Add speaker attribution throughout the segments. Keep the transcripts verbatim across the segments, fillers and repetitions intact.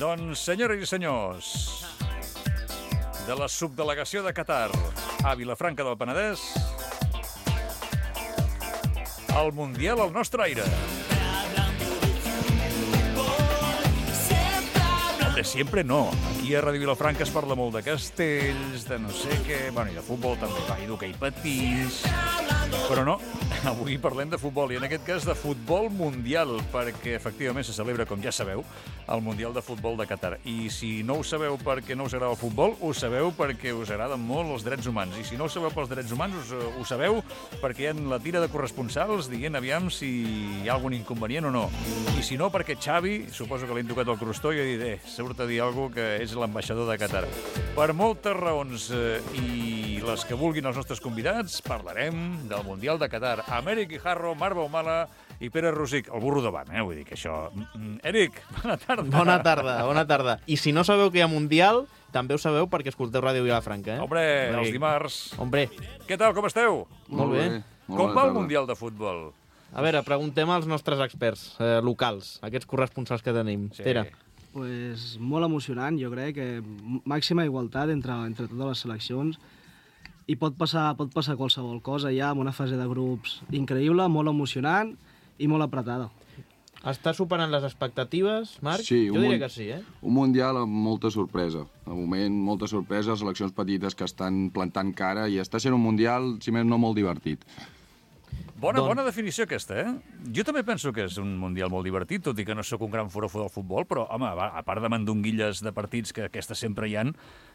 Speaker 1: Doncs, senyores i senyors, de la subdelegació de Qatar a Vilafranca del Penedès, el Mundial al nostre aire. Hombre, sempre no. Aquí a Ràdio Vilafranca es parla molt de castells, de no sé què... Bueno, i de futbol també, va, i d'hoquei patins... Però no, avui parlem de futbol, i en aquest cas de futbol mundial, perquè efectivament se celebra, com ja sabeu, el Mundial de Futbol de Qatar. I si no ho sabeu perquè no us agrada el futbol, ho sabeu perquè us agraden molt els drets humans. I si no ho sabeu pels drets humans, us, ho sabeu perquè hi ha la tira de corresponsals dient aviam si hi ha algun inconvenient o no. I si no, perquè Xavi, suposo que li han tocat el crostó i ha dit, eh, surt a dir alguna cosa que és l'ambaixador de Qatar. Per moltes raons, eh, i les que vulguin els nostres convidats, parlarem del Mundial de Qatar. Amb Eric Guijarro, Marc Baumala i Pere Rosic, el burro davant, eh? Vull dir que això... Eric, bona tarda.
Speaker 2: Bona tarda, bona tarda. I si no sabeu que hi ha Mundial, també ho sabeu perquè escolteu Ràdio Vilafranca, eh?
Speaker 1: Hombre, els dimarts.
Speaker 2: Hombre.
Speaker 1: Què tal, com esteu?
Speaker 2: Molt bé.
Speaker 1: Com va el Mundial de Futbol?
Speaker 2: A veure, preguntem als nostres experts eh, locals, aquests corresponsals que tenim.
Speaker 1: Sí.
Speaker 2: Pere.
Speaker 3: Pues molt emocionant, jo crec, que màxima igualtat entre, entre totes les seleccions i pot passar, pot passar qualsevol cosa ja amb una fase de grups increïble, molt emocionant i molt apretada.
Speaker 2: Està superant les expectatives, Marc?
Speaker 4: Sí,
Speaker 2: jo diria que sí, eh?
Speaker 4: Un Mundial amb molta sorpresa. De moment, molta sorpresa, seleccions petites que estan plantant cara i està sent un Mundial, si més no, molt divertit.
Speaker 1: Bona,
Speaker 2: Don...
Speaker 1: bona definició aquesta, eh? Jo també penso que és un Mundial molt divertit, tot i que no sóc un gran forofo del futbol, però, home, a part de mandonguilles de partits, que aquestes sempre hi han,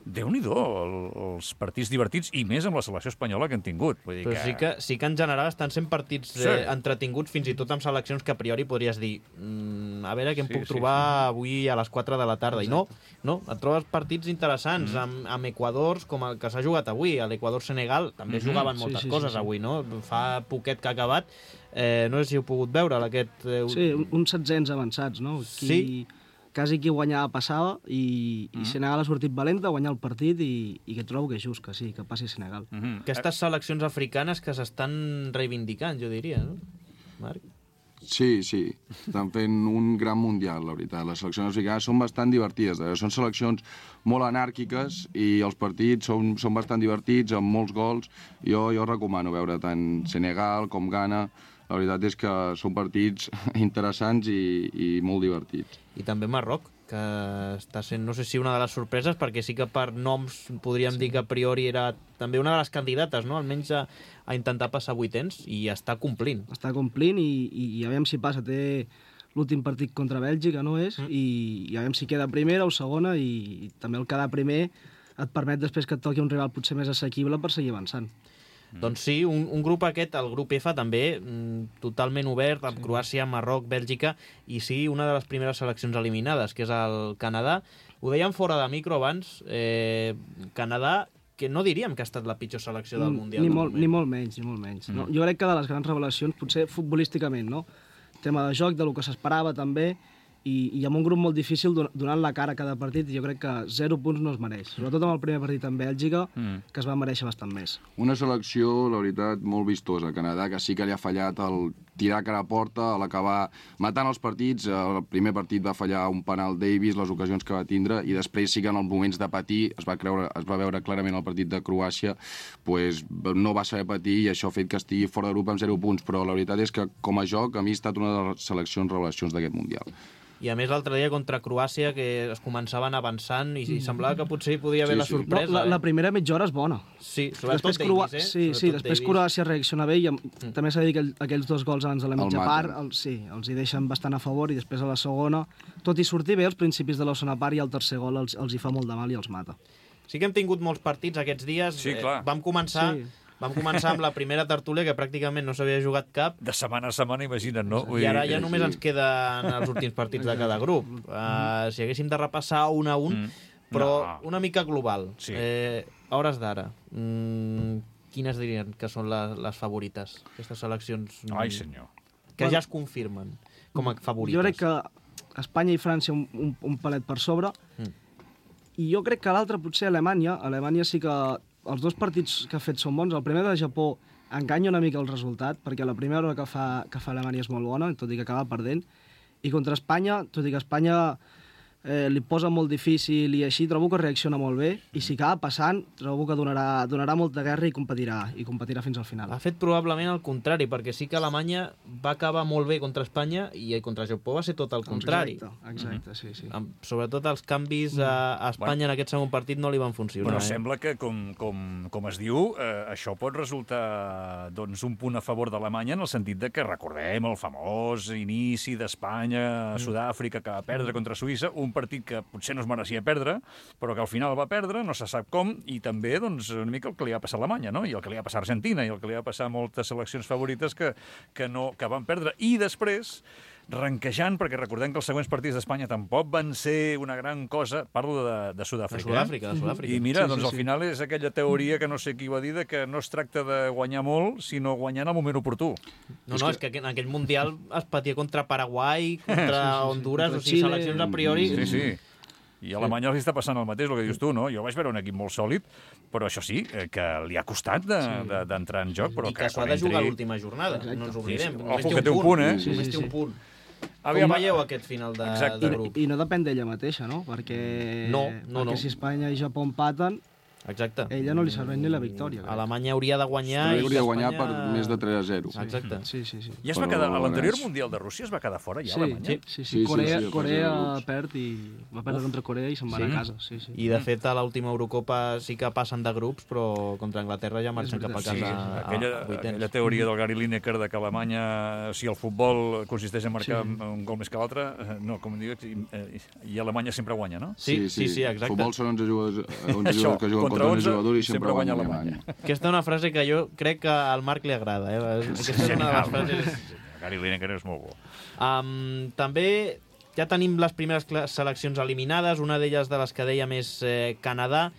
Speaker 1: Déu-n'hi-do, el, els partits divertits, i més amb la selecció espanyola que han tingut. Vull dir
Speaker 2: però
Speaker 1: que...
Speaker 2: sí, que, sí que en general estan sent partits
Speaker 1: sí.
Speaker 2: eh, entretinguts, fins i tot amb seleccions que a priori podries dir mm, a veure què em
Speaker 1: sí,
Speaker 2: puc
Speaker 1: sí,
Speaker 2: trobar
Speaker 1: sí.
Speaker 2: avui a les quatre de la tarda. Exacte. I no, no, et trobes partits interessants mm. amb, amb Equadors, com el que s'ha jugat avui, a l'Equador-Senegal, també mm-hmm. jugaven moltes
Speaker 3: sí, sí,
Speaker 2: coses
Speaker 3: sí, sí.
Speaker 2: avui, no? Fa poquet que ha acabat. Eh, no sé si heu pogut veure aquest... Eh...
Speaker 3: Sí, uns setzents avançats, no? Qui,
Speaker 2: sí.
Speaker 3: Quasi qui guanyava passava i,
Speaker 1: Mm.
Speaker 3: i Senegal ha sortit valenta a guanyar el partit i, i que trobo que és just que sí, que passi Senegal.
Speaker 1: Mm-hmm.
Speaker 2: Aquestes seleccions africanes que s'estan reivindicant, jo diria, no? Marc?
Speaker 4: Sí, sí, estan fent un gran Mundial, la veritat. Les seleccions africanes són bastant divertides. Són seleccions molt anàrquiques i els partits són, són bastant divertits, amb molts gols. Jo, jo recomano veure tant Senegal com Ghana. La veritat és que són partits interessants i, i molt divertits.
Speaker 2: I també Marroc, que està sent, no sé si una de les sorpreses, perquè sí que per noms podríem sí. dir que a priori era també una de les candidates, no? Almenys a, a intentar passar vuitens, i està complint.
Speaker 3: Està complint i, i, i a veure si passa. Té l'últim partit contra Bèlgica, no és? Mm. I, I a veure si queda primera o segona, i, i també el quedar primer et permet després que et toqui un rival potser més assequible per seguir avançant.
Speaker 2: Mm. Doncs sí, un, un grup aquest, el grup F, també, mm, totalment obert, amb sí. Croàcia, Marroc, Bèlgica, i sí, una de les primeres seleccions eliminades, que és el Canadà. Ho dèiem fora de micro abans, eh, Canadà, que no diríem que ha estat la pitjor selecció del Mundial.
Speaker 3: Ni, molt, ni molt menys, ni molt menys. Mm. No? Jo crec que de les grans revelacions, potser futbolísticament, no? Tema de joc, de lo que s'esperava també, i, i amb un grup molt difícil donant la cara a cada partit, jo crec que zero punts no es mereix. Sobretot amb el primer partit amb Bèlgica, mm. que es va mereixer bastant més.
Speaker 4: Una selecció, la veritat, molt vistosa. Canadà, que sí que li ha fallat el tirar cara a porta, a l'acabar matant els partits. El primer partit va fallar un penal Davis, les ocasions que va tindre, i després sí que en els moments de patir, es va, creure, es va veure clarament el partit de Croàcia, pues, no va saber patir i això ha fet que estigui fora de grup amb zero punts. Però la veritat és que, com a joc, a mi ha estat una de les seleccions revelacions d'aquest Mundial.
Speaker 2: I a més l'altre dia contra Croàcia, que es començaven avançant i, i semblava que potser hi podia haver
Speaker 4: sí,
Speaker 2: la sorpresa.
Speaker 4: sí.
Speaker 3: No, la,
Speaker 2: eh?
Speaker 3: la primera mitja hora és bona.
Speaker 2: Sí, sobretot
Speaker 3: després,
Speaker 2: Davis, eh?
Speaker 3: Sí,
Speaker 2: sobretot
Speaker 3: sí, després
Speaker 2: Davis.
Speaker 3: Croàcia reacciona bé i mm. també s'ha de dir que aquells dos gols abans de la mitja
Speaker 4: el
Speaker 3: part el, sí, els hi deixen bastant a favor, i després a la segona, tot i sortir bé als principis de la segona part, i el tercer gol els, els hi fa molt de mal i els mata.
Speaker 2: Sí que hem tingut molts partits aquests dies.
Speaker 1: Sí, clar.
Speaker 2: Eh, vam començar... Sí. Vam començar amb la primera tertúlia, que pràcticament no s'havia jugat cap.
Speaker 1: De setmana a setmana, imagina't, no?
Speaker 2: I ara ja només ens queden els últims partits de cada grup. Uh, si haguéssim de repassar un a un, mm. però no. una mica global.
Speaker 1: Sí.
Speaker 2: Eh, a hores d'ara, mm, quines dirien que són les, les favorites? Aquestes seleccions mm,
Speaker 1: Ai, senyor.
Speaker 2: que ja es confirmen com a favorites.
Speaker 3: Jo crec que Espanya i França un, un, un palet per sobre, mm. i jo crec que l'altre potser Alemanya. Alemanya sí que... Els dos partits que ha fet són bons. El primer de Japó enganya una mica el resultat, perquè la primera hora que fa, que fa Alemanya és molt bona, tot i que acaba perdent. I contra Espanya, tot i que Espanya eh, li posa molt difícil i així trobo que reacciona molt bé i si acaba passant trobo que donarà, donarà molta guerra i competirà, i competirà fins al final.
Speaker 2: Ha fet probablement el contrari, perquè sí que Alemanya va acabar molt bé contra Espanya i contra Japó va ser tot el contrari.
Speaker 3: Exacte, exacte, sí, sí.
Speaker 2: Amb, sobretot els canvis a, a Espanya bueno, en aquest segon partit no li van funcionar.
Speaker 1: Però
Speaker 2: eh?
Speaker 1: sembla que, com, com, com es diu, eh, això pot resultar doncs, un punt a favor d'Alemanya en el sentit de que recordem el famós inici d'Espanya a Sud-àfrica que va perdre contra Suïssa, un partit que potser no es mereixia perdre, però que al final va perdre, no se sap com, i també doncs, una mica el que li va passar a Alemanya, no? I el que li va passar a Argentina, i el que li va passar a moltes seleccions favorites que, que, no, que van perdre. I després, ranquejant, perquè recordem que els següents partits d'Espanya tampoc van ser una gran cosa, parlo de, de Sud-àfrica.
Speaker 2: De Sud-àfrica, de Sud-àfrica.
Speaker 1: I mira,
Speaker 3: Sí, sí,
Speaker 1: doncs al
Speaker 3: sí.
Speaker 1: final és aquella teoria que no sé qui va dir de que no es tracta de guanyar molt, sinó guanyar en el moment oportú.
Speaker 2: No, no, és que en aquell Mundial es patia contra Paraguai, contra Honduras,
Speaker 3: Contra
Speaker 2: o sigui,
Speaker 3: Xile.
Speaker 2: seleccions a priori...
Speaker 1: Sí, sí. I a Alemanya els està passant el mateix, el que dius tu, no? Jo vaig veure un equip molt sòlid, però això sí, eh, que li ha costat d'entrar de, de, en joc, però
Speaker 2: I que
Speaker 1: que
Speaker 2: s'ho ha
Speaker 1: quan
Speaker 2: de
Speaker 1: entri...
Speaker 2: jugar a l'última jornada,
Speaker 3: Exacte.
Speaker 2: no ens oblidem.
Speaker 1: Sí, sí.
Speaker 2: Només
Speaker 1: Ojo, que té un punt, eh?
Speaker 3: Sí,
Speaker 2: Només
Speaker 3: sí,
Speaker 2: té un
Speaker 3: sí.
Speaker 2: punt.
Speaker 1: Aviam,
Speaker 2: Com veieu aquest final de,
Speaker 1: Exacte.
Speaker 2: de
Speaker 3: I,
Speaker 2: grup?
Speaker 3: I no depèn d'ella mateixa, no? Perquè,
Speaker 2: No, no,
Speaker 3: perquè
Speaker 2: no.
Speaker 3: si Espanya i Japó empaten,
Speaker 2: Exacte.
Speaker 3: ella no li serveix ni la victòria. crec.
Speaker 2: Alemanya hauria de guanyar... i
Speaker 4: Hauria de guanyar
Speaker 2: Espanya-
Speaker 4: per més de tres a zero.
Speaker 2: Exacte.
Speaker 3: Sí, sí, sí.
Speaker 1: Ja es va
Speaker 4: Però
Speaker 1: quedar, a l'anterior
Speaker 4: veuràs.
Speaker 1: Mundial de Rússia es va quedar fora, ja,
Speaker 3: Sí,
Speaker 1: Alemanya?
Speaker 3: sí, sí,
Speaker 4: Sí, sí,
Speaker 3: Corea,
Speaker 4: sí, a
Speaker 3: Corea
Speaker 4: fase de grups.
Speaker 3: perd i va perdre contra Corea i se'n van
Speaker 2: Sí.
Speaker 3: a casa. Sí, sí.
Speaker 2: I, de fet, a l'última Eurocopa sí que passen de grups, però contra Anglaterra ja marxen cap a casa
Speaker 1: Sí,
Speaker 2: a,
Speaker 1: aquella,
Speaker 2: a vuitens.
Speaker 1: aquella teoria del Gary Lineker de que Alemanya, si el futbol consisteix en marcar
Speaker 3: Sí.
Speaker 1: un gol més que l'altre, eh, no, com diu, i, eh, i Alemanya sempre guanya, no?
Speaker 2: Sí, sí, sí, exacte.
Speaker 4: Futbol són onze jugadors, onze
Speaker 1: Això,
Speaker 4: jugadors que juguen
Speaker 1: contra
Speaker 4: contra onze
Speaker 1: onze,
Speaker 4: jugadors i
Speaker 1: sempre
Speaker 4: sempre
Speaker 1: guanya
Speaker 4: guanya
Speaker 1: Alemanya.
Speaker 4: Alemanya.
Speaker 2: Aquesta és una frase que jo crec que al Marc li agrada. Eh? Aquesta és una de les frases...
Speaker 1: Gary Lineker és molt bo.
Speaker 2: Um, també ja tenim les primeres cla- seleccions eliminades, una d'elles de les que dèiem és eh, Canadà,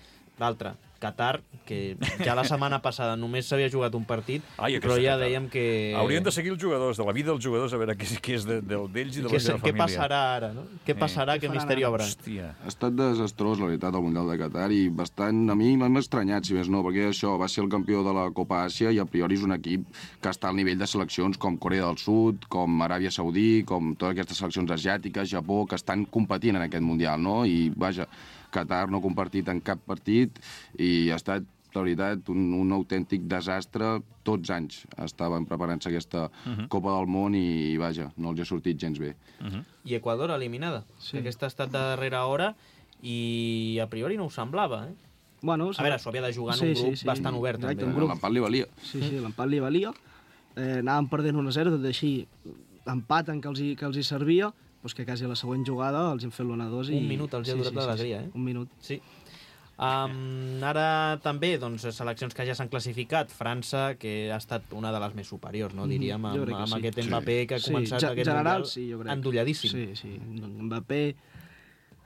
Speaker 2: l'altra, Qatar, que ja la setmana passada només s'havia jugat un partit,
Speaker 1: Ai, aquesta
Speaker 2: però ja
Speaker 1: Qatar.
Speaker 2: dèiem que...
Speaker 1: Haurien de seguir els jugadors, de la vida dels jugadors, a veure què, què és de- del- d'ells i de la
Speaker 2: Què,
Speaker 1: seva
Speaker 2: què
Speaker 1: família.
Speaker 2: passarà ara, no? Què passarà,
Speaker 3: Què
Speaker 2: què
Speaker 3: faran
Speaker 2: misteri
Speaker 3: ara?
Speaker 2: obre?
Speaker 1: Hòstia.
Speaker 4: Ha estat desastrós, la veritat, el Mundial de Qatar, i bastant... A mi m'han estranyat, si més no, perquè això va ser el campió de la Copa Àsia i a priori és un equip que està al nivell de seleccions com Corea del Sud, com Aràbia Saudí, com totes aquestes seleccions asiàtiques, Japó, que estan competint en aquest Mundial, no? I, vaja, Qatar no ha compartit en cap partit i ha estat, la veritat, un, un autèntic desastre. Tots anys estaven preparant-se aquesta uh -huh. Copa del Món i, vaja, no els ha sortit gens bé.
Speaker 1: Uh -huh.
Speaker 2: I Equador eliminada.
Speaker 3: Sí.
Speaker 2: Que aquesta ha estat de darrera hora i a priori no ho semblava, eh?
Speaker 3: Bueno,
Speaker 2: A veure, s'ho havia de jugar en un grup bastant obert,
Speaker 3: Exacte,
Speaker 2: també.
Speaker 3: un grup.
Speaker 4: L'empat li valia.
Speaker 3: Sí, sí, l'empat li valia. Eh, anàvem perdent un a zero, tot i així empaten que els hi, que els hi servia, doncs que quasi a la següent jugada els hem fet l'un a dos.
Speaker 2: Un minut els hi ha durat l'alegria, eh?
Speaker 3: Un minut.
Speaker 2: Sí. Um, ara també, doncs, seleccions que ja s'han classificat. França, que ha estat una de les més superiors, no? Diríem,
Speaker 3: Jo
Speaker 2: amb,
Speaker 3: crec que
Speaker 2: amb
Speaker 3: sí.
Speaker 2: aquest Mbappé que ha
Speaker 3: Sí,
Speaker 2: començat
Speaker 3: ge-
Speaker 2: aquest
Speaker 3: general,
Speaker 2: Mundial
Speaker 3: sí, jo crec.
Speaker 2: endolladíssim.
Speaker 3: Sí, sí. Mbappé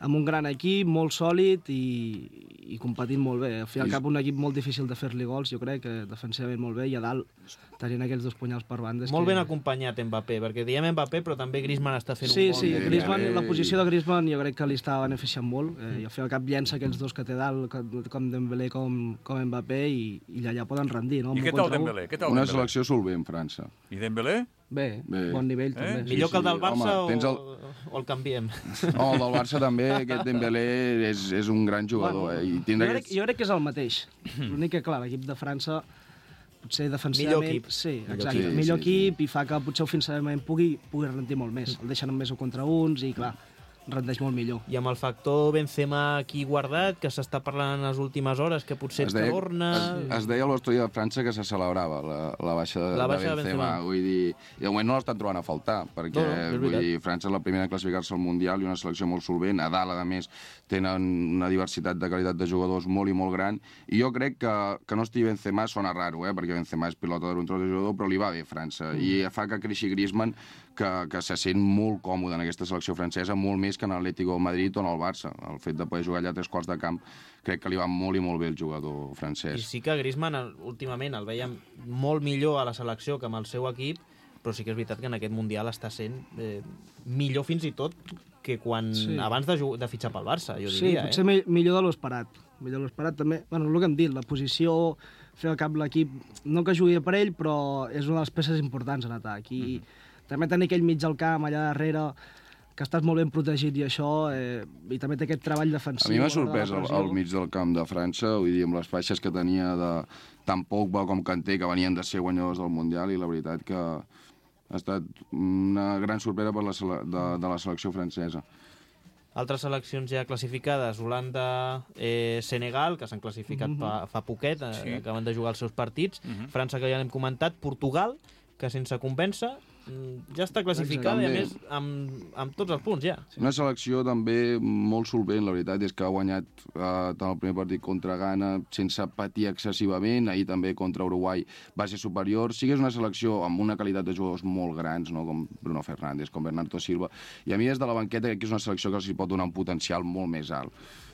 Speaker 3: amb un gran equip, molt sòlid i, i competint molt bé. Al fi i al cap un equip molt difícil de fer-li gols, jo crec, que defensivament molt bé, i a dalt tenint aquells dos punyals per banda. és
Speaker 2: Molt
Speaker 3: que...
Speaker 2: ben acompanyat Mbappé, perquè diem Mbappé, però també Griezmann està fent
Speaker 3: Sí,
Speaker 2: un bon...
Speaker 3: sí,
Speaker 4: Dembélé.
Speaker 3: Griezmann, la posició de Griezmann jo crec que li està beneficiant molt, eh, i al fi i al cap llença aquells dos que té dalt, com, com Dembélé com, com Mbappé, i, i allà poden rendir, no?
Speaker 1: I
Speaker 3: Un
Speaker 1: què
Speaker 3: u
Speaker 1: tal
Speaker 3: contra u.
Speaker 1: Dembélé? Què tal
Speaker 4: Una
Speaker 1: Dembélé?
Speaker 4: selecció solvent, França.
Speaker 1: I Dembélé?
Speaker 3: Bé,
Speaker 4: Bé.
Speaker 3: bon nivell també.
Speaker 1: Eh?
Speaker 3: Sí.
Speaker 2: Millor que el del
Speaker 4: sí.
Speaker 2: Barça
Speaker 4: Home, tens el-
Speaker 2: o, o el canviem?
Speaker 4: Oh, el del Barça també, aquest Dembélé és, és un gran jugador.
Speaker 3: Bueno,
Speaker 4: eh? I
Speaker 3: jo,
Speaker 4: tindrà
Speaker 3: crec,
Speaker 4: aquests...
Speaker 3: jo crec que és el mateix. L'únic que, clar, l'equip de França potser defensivament...
Speaker 2: Millor equip.
Speaker 3: Sí,
Speaker 2: Millor
Speaker 3: exacte.
Speaker 4: equip.
Speaker 3: Millor
Speaker 4: Sí, sí,
Speaker 3: equip i fa que potser ofensivament pugui, pugui rendir molt més. El deixen només un contra uns i, clar, rendeix molt millor.
Speaker 2: I amb el factor Benzema aquí guardat, que s'està parlant en les últimes hores, que potser
Speaker 4: Es deia,
Speaker 2: torna...
Speaker 4: es, es deia a l'estudi de França que se celebrava la, la baixa de,
Speaker 2: La baixa de
Speaker 4: de Benzema.
Speaker 2: Benzema.
Speaker 4: Vull dir, i de moment no l'estan trobant a faltar, perquè
Speaker 2: No, no, és
Speaker 4: vull
Speaker 2: veritat.
Speaker 4: dir, França és la primera a classificar-se al Mundial i una selecció molt solvent. A dalt, a més, tenen una diversitat de qualitat de jugadors molt i molt gran. I jo crec que, que no estigui Benzema sona raro, eh? perquè Benzema és pilota d'un tros de jugador, però li va bé França. Mm. I fa que creixi Griezmann, que, que se sent molt còmode en aquesta selecció francesa, molt més que en l'Atlético de Madrid o en el Barça. El fet de poder jugar allà a tres quarts de camp crec que li va molt i molt bé el jugador
Speaker 2: I
Speaker 4: francès.
Speaker 2: sí que Griezmann el- últimament el veiem molt millor a la selecció que amb el seu equip, però sí que és veritat que en aquest Mundial està sent eh, millor fins i tot que quan
Speaker 3: Sí.
Speaker 2: abans de, ju- de fitxar pel Barça, jo
Speaker 3: Sí,
Speaker 2: diria.
Speaker 3: potser
Speaker 2: eh?
Speaker 3: mi- millor de l'esperat. Millor de l'esperat també. Bueno, el que hem dit, la posició, fer al cap l'equip, no que jugui per ell, però és una de les peces importants en atac. I
Speaker 2: Mhm.
Speaker 3: també tenir aquell mig al camp allà darrere, que estàs molt ben protegit i això, eh, i també té aquest treball defensiu.
Speaker 4: A mi m'ha
Speaker 3: a l'hora de la
Speaker 4: sorprès al,
Speaker 3: pressió.
Speaker 4: al mig del camp de França, vull dir, amb les faixes que tenia de tant Pogba com Kanté, que venien de ser guanyadors del Mundial, i la veritat que ha estat una gran sorpresa per la, sele- de, de la selecció francesa.
Speaker 2: Altres seleccions ja classificades, Holanda, eh, Senegal, que s'han classificat mm -hmm. fa, fa poquet, eh,
Speaker 1: Sí.
Speaker 2: acaben de jugar els seus partits, mm -hmm. França, que ja l'hem comentat, Portugal, que sense convèncer ja està classificada i a més amb, amb tots els punts ja.
Speaker 4: Una selecció també molt solvent, la veritat és que ha guanyat eh, tant el primer partit contra Ghana sense patir excessivament, ahir també contra Uruguai va ser superior. Sí que és una selecció amb una qualitat de jugadors molt grans, no? Com Bruno Fernández, com Bernardo Silva, i a mi des de la banqueta crec que és una selecció que els hi pot donar un potencial molt més alt,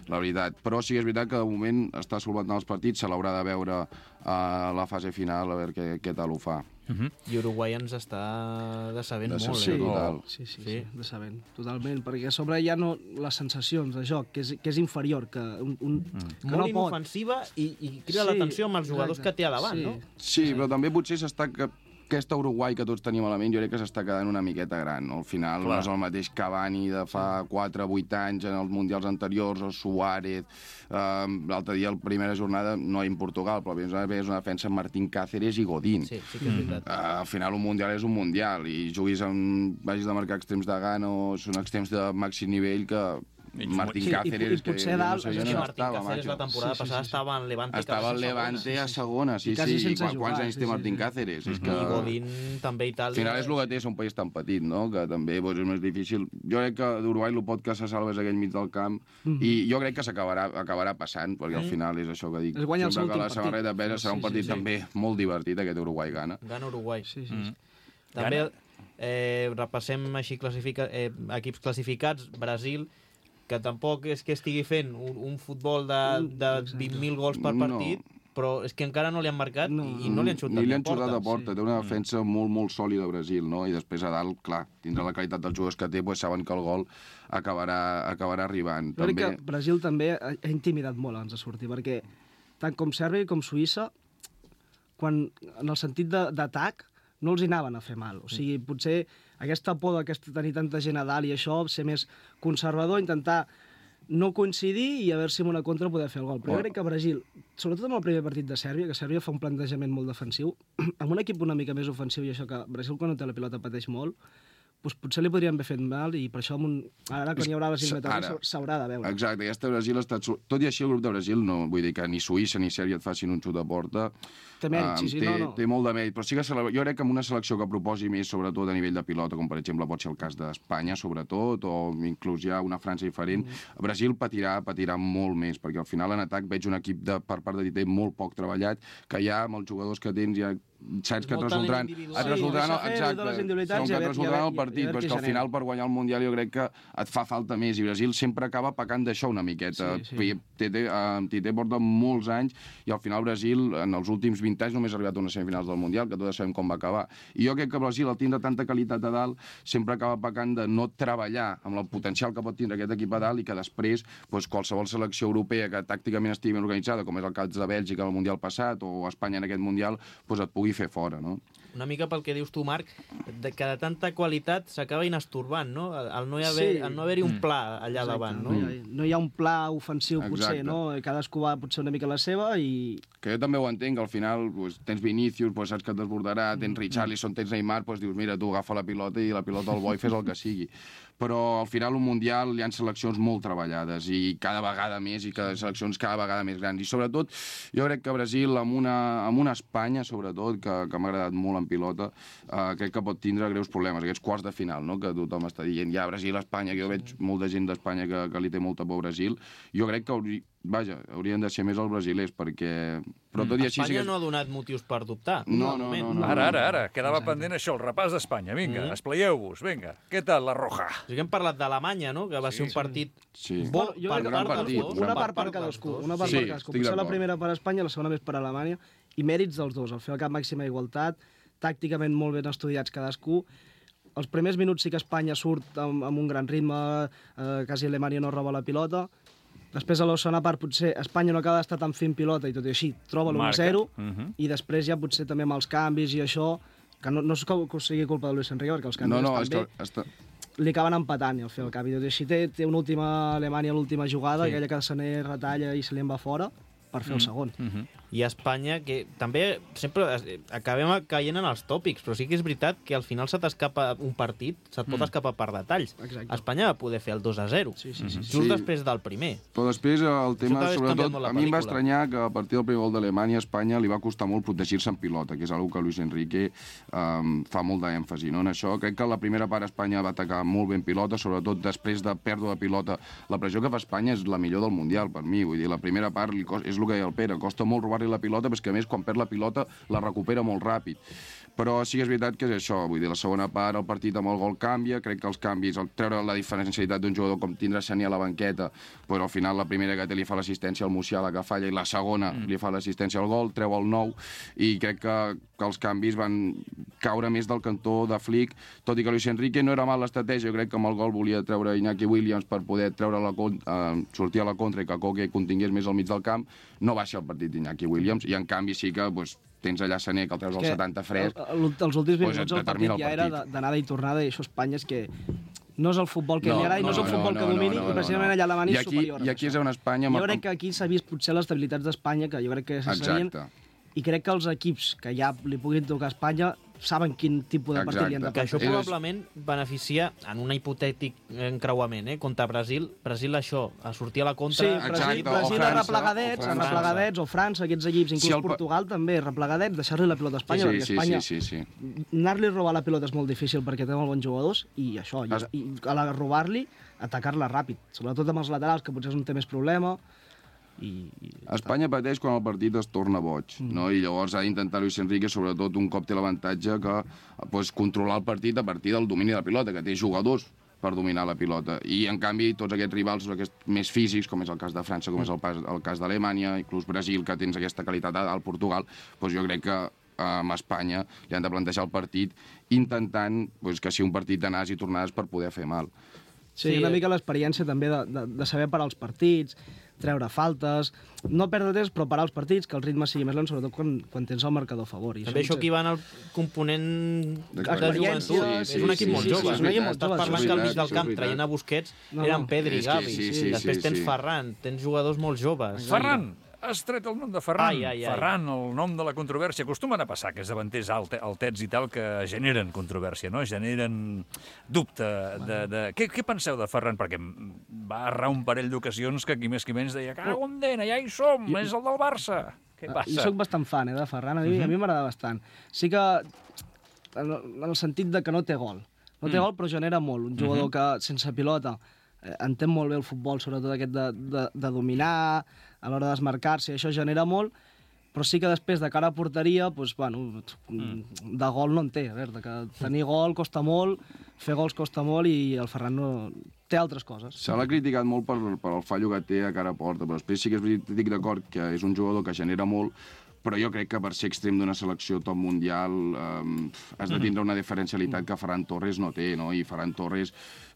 Speaker 4: la veritat. Però sí que és veritat que de moment està solventant els partits, se l'haurà de veure a la fase final, a veure què, què tal ho fa.
Speaker 1: Uh -huh.
Speaker 2: I Uruguai ens està decebent
Speaker 4: Decebent,
Speaker 2: molt,
Speaker 3: Sí,
Speaker 2: eh?
Speaker 4: total.
Speaker 3: sí, sí, sí,
Speaker 2: Sí.
Speaker 3: decebent, totalment, perquè a sobre hi ha no, les sensacions de joc, que és, que és inferior, que, un, un, mm. que
Speaker 2: Molt
Speaker 3: no pot.
Speaker 2: inofensiva i, i crida
Speaker 3: Sí,
Speaker 2: l'atenció amb els jugadors
Speaker 3: exacte.
Speaker 2: que té a davant,
Speaker 3: Sí.
Speaker 2: no?
Speaker 4: Sí, però també potser s'està... Que... Aquesta Uruguai que tots tenim a la ment, jo crec que s'està quedant una miqueta gran, no? Al final
Speaker 1: Clar.
Speaker 4: no és el mateix Cavani de fa quatre o vuit anys en els Mundials anteriors, o Suárez. Uh, L'altre dia, la primera jornada, no en Portugal, però és una, és una defensa amb Martín Cáceres i Godín.
Speaker 2: Sí, sí que és veritat.
Speaker 4: Uh, al final un Mundial és un Mundial, i juguis amb... vagis de marcar extrems de gana o són extrems de màxim nivell que... Martín
Speaker 3: Sí, i-
Speaker 4: Cáceres,
Speaker 3: i potser
Speaker 4: que
Speaker 3: dalt-
Speaker 4: jo no sé,
Speaker 3: és
Speaker 4: jo
Speaker 2: És que
Speaker 4: no
Speaker 2: Martín
Speaker 4: estava,
Speaker 2: Cáceres la
Speaker 4: macho.
Speaker 2: temporada
Speaker 3: Sí, sí,
Speaker 2: passada
Speaker 3: sí, sí.
Speaker 2: estava en Levante.
Speaker 4: Estava al
Speaker 2: quasi segona.
Speaker 4: Levante a segona, sí,
Speaker 3: I quasi
Speaker 4: sí.
Speaker 3: sense
Speaker 4: I
Speaker 3: jugar,
Speaker 4: quants anys
Speaker 3: sí,
Speaker 4: té
Speaker 3: sí,
Speaker 4: Martín
Speaker 3: sí.
Speaker 4: Cáceres? És que...
Speaker 2: I Godín també i tal.
Speaker 4: Al final és el que té, ser un país tan petit, no? Que també doncs, és més difícil. Jo crec que d'Uruguai el pot que se salva és aquell mig del camp,
Speaker 3: Mhm.
Speaker 4: i jo crec que s'acabarà acabarà passant, perquè al final és això que dic.
Speaker 3: Es guanya el seu
Speaker 4: Sempre que la
Speaker 3: últim
Speaker 4: samarreta
Speaker 3: partit.
Speaker 4: pesa serà un
Speaker 3: Sí,
Speaker 4: partit
Speaker 3: sí, sí.
Speaker 4: també molt divertit, aquest Uruguai-Ghana.
Speaker 2: Gana Uruguai.
Speaker 3: Sí, sí,
Speaker 1: Mm.
Speaker 3: sí.
Speaker 2: També
Speaker 1: Gana.
Speaker 2: eh, repassem així classifica, eh, equips classificats. Brasil, que tampoc és que estigui fent un, un futbol de, de vint mil gols per
Speaker 4: No.
Speaker 2: partit, però és que encara no li han marcat
Speaker 3: No.
Speaker 2: i, i no li han xutat
Speaker 4: Ni li
Speaker 2: a
Speaker 4: han xutat a
Speaker 2: porta.
Speaker 4: porta. Té una defensa molt, molt sòlida a Brasil, no? I després a dalt, clar, tindrà la qualitat dels jugadors que té, doncs saben que el gol acabarà, acabarà arribant.
Speaker 3: Jo crec
Speaker 4: També...
Speaker 3: que Brasil també ha, ha intimidat molt abans de sortir, perquè tant com Sèrbia com Suïssa, quan, en el sentit de- d'atac, no els hi anaven a fer mal. O sigui, potser aquesta por d'aquesta tenir tanta gent a dalt i això, ser més conservador, intentar no coincidir i a veure si amb una contra poder fer el gol. Però jo crec que Brasil, sobretot amb el primer partit de Sèrbia, que Sèrbia fa un plantejament molt defensiu, amb un equip una mica més ofensiu i això que Brasil quan no té la pilota pateix molt, doncs potser li podrien haver fet mal i per això amb un... ara quan hi haurà les eliminatòries
Speaker 4: Ara.
Speaker 3: s'haurà de veure.
Speaker 4: Exacte, aquesta Brasil ha estat... sol- Tot i així, el grup de Brasil, no vull dir que ni Suïssa ni Sèrbia et facin un xut a porta.
Speaker 3: Té mèrit,
Speaker 4: Ah,
Speaker 3: sí, sí,
Speaker 4: té,
Speaker 3: no, no.
Speaker 4: té molt de mèrit, però sí que celebra... jo crec que amb una selecció que proposi més, sobretot a nivell de pilota, com per exemple pot ser el cas d'Espanya, sobretot, o inclús ja una França diferent, mm. Brasil patirà, patirà molt més, perquè al final en atac veig un equip de, per part de Tite molt poc treballat, que ja amb els jugadors que tens ja saps que et
Speaker 2: Molt
Speaker 4: resoldran,
Speaker 2: talent individual.
Speaker 4: et
Speaker 3: Sí,
Speaker 4: resoldran,
Speaker 3: deixa fer
Speaker 4: exacte,
Speaker 3: totes les individualitats
Speaker 4: com
Speaker 3: i
Speaker 4: que
Speaker 3: a
Speaker 4: et
Speaker 3: veure-
Speaker 4: resoldran
Speaker 3: i a
Speaker 4: el
Speaker 3: veure-
Speaker 4: partit,
Speaker 3: i a veure
Speaker 4: però és
Speaker 3: qui
Speaker 4: que al
Speaker 3: genera.
Speaker 4: final per guanyar el Mundial jo crec que et fa falta més, i Brasil sempre acaba pecant d'això una miqueta.
Speaker 3: Sí, sí.
Speaker 4: Tite, uh, Tite porta molts anys i al final Brasil en els últims vint anys només ha arribat a unes semifinals del Mundial, que tots sabem com va acabar. I jo crec que Brasil, al tindre tanta qualitat a dalt, sempre acaba pecant de no treballar amb el potencial que pot tindre aquest equip a dalt i que després doncs, qualsevol selecció europea que tàcticament estigui ben organitzada, com és el cas de Bèlgica al Mundial passat o Espanya en aquest Mundial, doncs et pugui fer fora, no?
Speaker 2: Una mica pel que dius tu, Marc, de que de tanta qualitat s'acaba inastorbant, no? El no hi haver,
Speaker 3: Sí.
Speaker 2: el no haver-hi un pla allà
Speaker 3: Exacte,
Speaker 2: davant, no?
Speaker 3: No hi, ha, no hi ha un pla ofensiu, potser,
Speaker 4: Exacte.
Speaker 3: no? Cadascú va potser una mica a la seva i...
Speaker 4: Que jo també ho entenc, que al final pues, tens Vinícius, pues, saps que et desbordarà, tens Richarlison, tens Neymar, pues, dius, mira, tu agafa la pilota i la pilota al bo i fes el que sigui. Però al final un Mundial hi ha seleccions molt treballades i cada vegada més, i cada seleccions cada vegada més grans. I sobretot, jo crec que Brasil, amb una, amb una Espanya, sobretot, que, que m'ha agradat molt en pilota, eh, crec que pot tindre greus problemes, aquests quarts de final, no?, que tothom està dient, ja, Brasil, Espanya, que jo veig molta gent d'Espanya que, que li té molta por a Brasil. Jo crec que hauria, vaja, haurien de ser més els brasilers, perquè... Però tot i així...
Speaker 2: Espanya
Speaker 4: sí que...
Speaker 2: no ha donat motius per dubtar.
Speaker 4: No,
Speaker 2: de
Speaker 4: no,
Speaker 2: moment.
Speaker 4: no, no.
Speaker 1: Ara, ara, ara, quedava pendent això, el repàs d'Espanya. Vinga,
Speaker 2: Mm.
Speaker 1: espleieu-vos, vinga. Què tal, la Roja?
Speaker 2: O sigui, hem parlat d'Alemanya, no?, que va ser un partit
Speaker 4: Sí.
Speaker 2: bo
Speaker 3: Bueno, jo
Speaker 2: per
Speaker 3: crec que
Speaker 4: gran
Speaker 2: part dels
Speaker 4: partit,
Speaker 2: dos.
Speaker 4: gran
Speaker 3: Una
Speaker 2: per
Speaker 3: part per
Speaker 2: dels
Speaker 3: cadascú,
Speaker 2: dos.
Speaker 3: una part
Speaker 4: Sí,
Speaker 3: per cadascú.
Speaker 4: estic
Speaker 3: Potser la
Speaker 4: d'acord.
Speaker 3: primera per Espanya, la segona més per Alemanya, i mèrits dels dos, al fer el cap màxima igualtat, tàcticament molt ben estudiats cadascú. Els primers minuts sí que Espanya surt amb, amb un gran ritme, eh, quasi Alemanya no roba la pilota. Després, a la segona part, potser Espanya no acaba d'estar tan fent pilota i tot i així troba l'u a zero,
Speaker 1: Mhm.
Speaker 3: i després ja potser també amb els canvis i això, que no, no és que, que sigui culpa de Luis Enrique, perquè els canvis
Speaker 4: No, no,
Speaker 3: estan
Speaker 4: és que,
Speaker 3: bé,
Speaker 4: està...
Speaker 3: li acaben empatant i al fer el canvi. Així té, té una última Alemanya, l'última jugada,
Speaker 2: Sí.
Speaker 3: aquella que Sané retalla i se li en va fora per fer el segon.
Speaker 1: Mhm.
Speaker 2: I Espanya, que també sempre es- acabem caient en els tòpics, però sí que és veritat que al final se t'escapa un partit, se't pot escapar per detalls.
Speaker 3: Exacte.
Speaker 2: Espanya va poder fer el dos a zero,
Speaker 3: Sí, sí, sí.
Speaker 2: just
Speaker 4: Sí.
Speaker 2: després del primer.
Speaker 4: Però després el tema,
Speaker 2: t'ha canviat
Speaker 4: sobretot,
Speaker 2: molt la
Speaker 4: a mi em va
Speaker 2: pel·lícula.
Speaker 4: estranyar que a partir del primer gol d'Alemanya a Espanya li va costar molt protegir-se en pilota, que és una que Luis Enrique um, fa molt d'èmfasi, no? En això crec que la primera part Espanya va atacar molt ben pilota, sobretot després de pèrdua de pilota. La pressió que fa Espanya és la millor del Mundial, per mi. Vull dir, la primera part li costa, és el que deia el Pere, costa molt robar-li la pilota, però és que a més quan perd la pilota la recupera molt ràpid. Però sí que és veritat que és això, vull dir, la segona part el partit amb el gol canvia, crec que els canvis, el treure la diferencialitat d'un jugador com tindrà Sané a la banqueta, però al final la primera que té li fa l'assistència al Musiala que falla i la segona mm. li fa l'assistència al gol, treu el nou, i crec que, que els canvis van caure més del cantó de Flick, tot i que Luis Enrique no era mal l'estratègia, jo crec que amb el gol volia treure Iñaki Williams per poder treure la, eh, sortir a la contra i que Koke contingués més al mig del camp, no va ser el partit d'Iñaki Williams, i en canvi sí que pues, tens allà Sané que el treus al setanta fresc.
Speaker 3: El, el, els últims vint
Speaker 4: Pues
Speaker 3: minuts el partit
Speaker 4: determina el
Speaker 3: ja era
Speaker 4: partit.
Speaker 3: d'anada i tornada, i això a Espanya és que no és el futbol que
Speaker 4: No,
Speaker 3: li agrada i no,
Speaker 4: no,
Speaker 3: és el
Speaker 4: no,
Speaker 3: futbol
Speaker 4: no,
Speaker 3: que
Speaker 4: no,
Speaker 3: domini,
Speaker 4: no, no,
Speaker 3: i precisament
Speaker 4: no.
Speaker 3: allà Alemanya
Speaker 4: I
Speaker 3: és
Speaker 4: aquí-
Speaker 3: superior.
Speaker 4: i aquí és on Espanya...
Speaker 3: Jo crec que aquí s'ha vist potser les debilitats d'Espanya, que jo crec que se sabien,
Speaker 4: Exacte.
Speaker 3: i crec que els equips que ja li puguin tocar a Espanya saben quin tipus de partit li han de
Speaker 2: Que això
Speaker 3: plantejar.
Speaker 2: probablement beneficia, en un hipotètic encreuament, eh, contra Brasil, Brasil això, a sortir a la
Speaker 3: Sí,
Speaker 2: contra...
Speaker 3: Brasil,
Speaker 4: Exacte, o
Speaker 3: Brasil a
Speaker 4: França,
Speaker 3: replegadets,
Speaker 4: o
Speaker 3: a
Speaker 4: França.
Speaker 3: replegadets, o França, aquests equips, inclús
Speaker 4: Si el pa-
Speaker 3: Portugal també, replegadets, deixar-li la pilota a Espanya,
Speaker 4: Sí,
Speaker 3: perquè
Speaker 4: sí,
Speaker 3: Espanya,
Speaker 4: sí, sí, sí.
Speaker 3: anar-li a robar la pilota és molt difícil perquè té molt bons jugadors, i això, i,
Speaker 4: Es-
Speaker 3: i a la robar-li, atacar-la ràpid, sobretot amb els laterals, que potser és on té més problema, i... i
Speaker 4: Espanya pateix quan el partit es torna boig,
Speaker 3: Mm.
Speaker 4: no? I llavors ha d'intentar Luis Enrique, sobretot un cop té l'avantatge, que pues, controlar el partit a partir del domini de la pilota, que té jugadors per dominar la pilota. I, en canvi, tots aquests rivals aquests més físics, com és el cas de França, com és el, pas, el cas d'Alemanya, inclús Brasil, que tens aquesta qualitat al Portugal, doncs jo crec que amb Espanya li han de plantejar el partit intentant pues, que sigui un partit d'anades i tornades per poder fer mal.
Speaker 3: Sí,
Speaker 2: Sí,
Speaker 3: una
Speaker 2: eh.
Speaker 3: mica l'experiència també de, de, de saber parar els partits, treure faltes, no perdre temps, però parar els partits, que el ritme sigui més lent, sobretot quan, quan tens el marcador a favor. I
Speaker 2: També això
Speaker 3: potser-
Speaker 2: aquí va en el component de
Speaker 3: Experiència,
Speaker 2: joventut.
Speaker 3: sí,
Speaker 2: és un
Speaker 3: sí,
Speaker 2: equip
Speaker 3: sí,
Speaker 2: molt
Speaker 3: sí,
Speaker 2: jove.
Speaker 3: sí, és un equip molt
Speaker 2: Estàs
Speaker 3: jove,
Speaker 2: parlant
Speaker 3: això és
Speaker 2: que al mig
Speaker 4: veritat,
Speaker 2: del
Speaker 4: això és
Speaker 2: camp,
Speaker 4: veritat.
Speaker 2: traient a Busquets,
Speaker 3: No,
Speaker 2: eren
Speaker 3: no.
Speaker 2: Pedri i
Speaker 4: És que
Speaker 2: Gavi.
Speaker 4: sí, sí,
Speaker 2: Després
Speaker 4: sí,
Speaker 2: tens
Speaker 4: sí.
Speaker 2: Ferran, tens jugadors molt joves.
Speaker 1: Ferran! Has tret el nom de Ferran.
Speaker 2: Ai, ai, ai.
Speaker 1: Ferran, el nom de la controvèrsia. Acostumen a passar aquests davanters alte, altets i tal que generen controvèrsia, no? Generen dubte de... de... Què, què penseu de Ferran? Perquè va errar un parell d'ocasions que qui més qui menys deia cago en dena, ja hi som, és el del Barça. Què passa?
Speaker 3: Jo sóc bastant fan, eh, de Ferran, a mi, uh -huh. a mi m'agrada bastant. Sí que, en el, en el sentit de que no té gol. No té
Speaker 1: Mm.
Speaker 3: gol, però genera molt. Un jugador uh -huh. que, sense pilota, eh, entén molt bé el futbol, sobretot aquest de, de, de dominar, a l'hora de desmarcar-se, i això genera molt, però sí que després, de cara a porteria, doncs, bueno, de gol no en té. A veure, que tenir gol costa molt, fer gols costa molt, i el Ferran no... té altres coses.
Speaker 4: Se l'ha criticat molt per, per el fallo que té a cara a porta, però després sí que estic d'acord que és un jugador que genera molt, però jo crec que per ser extrem d'una selecció top mundial eh, has de tindre una diferencialitat que Ferran Torres no té, no? I Ferran Torres,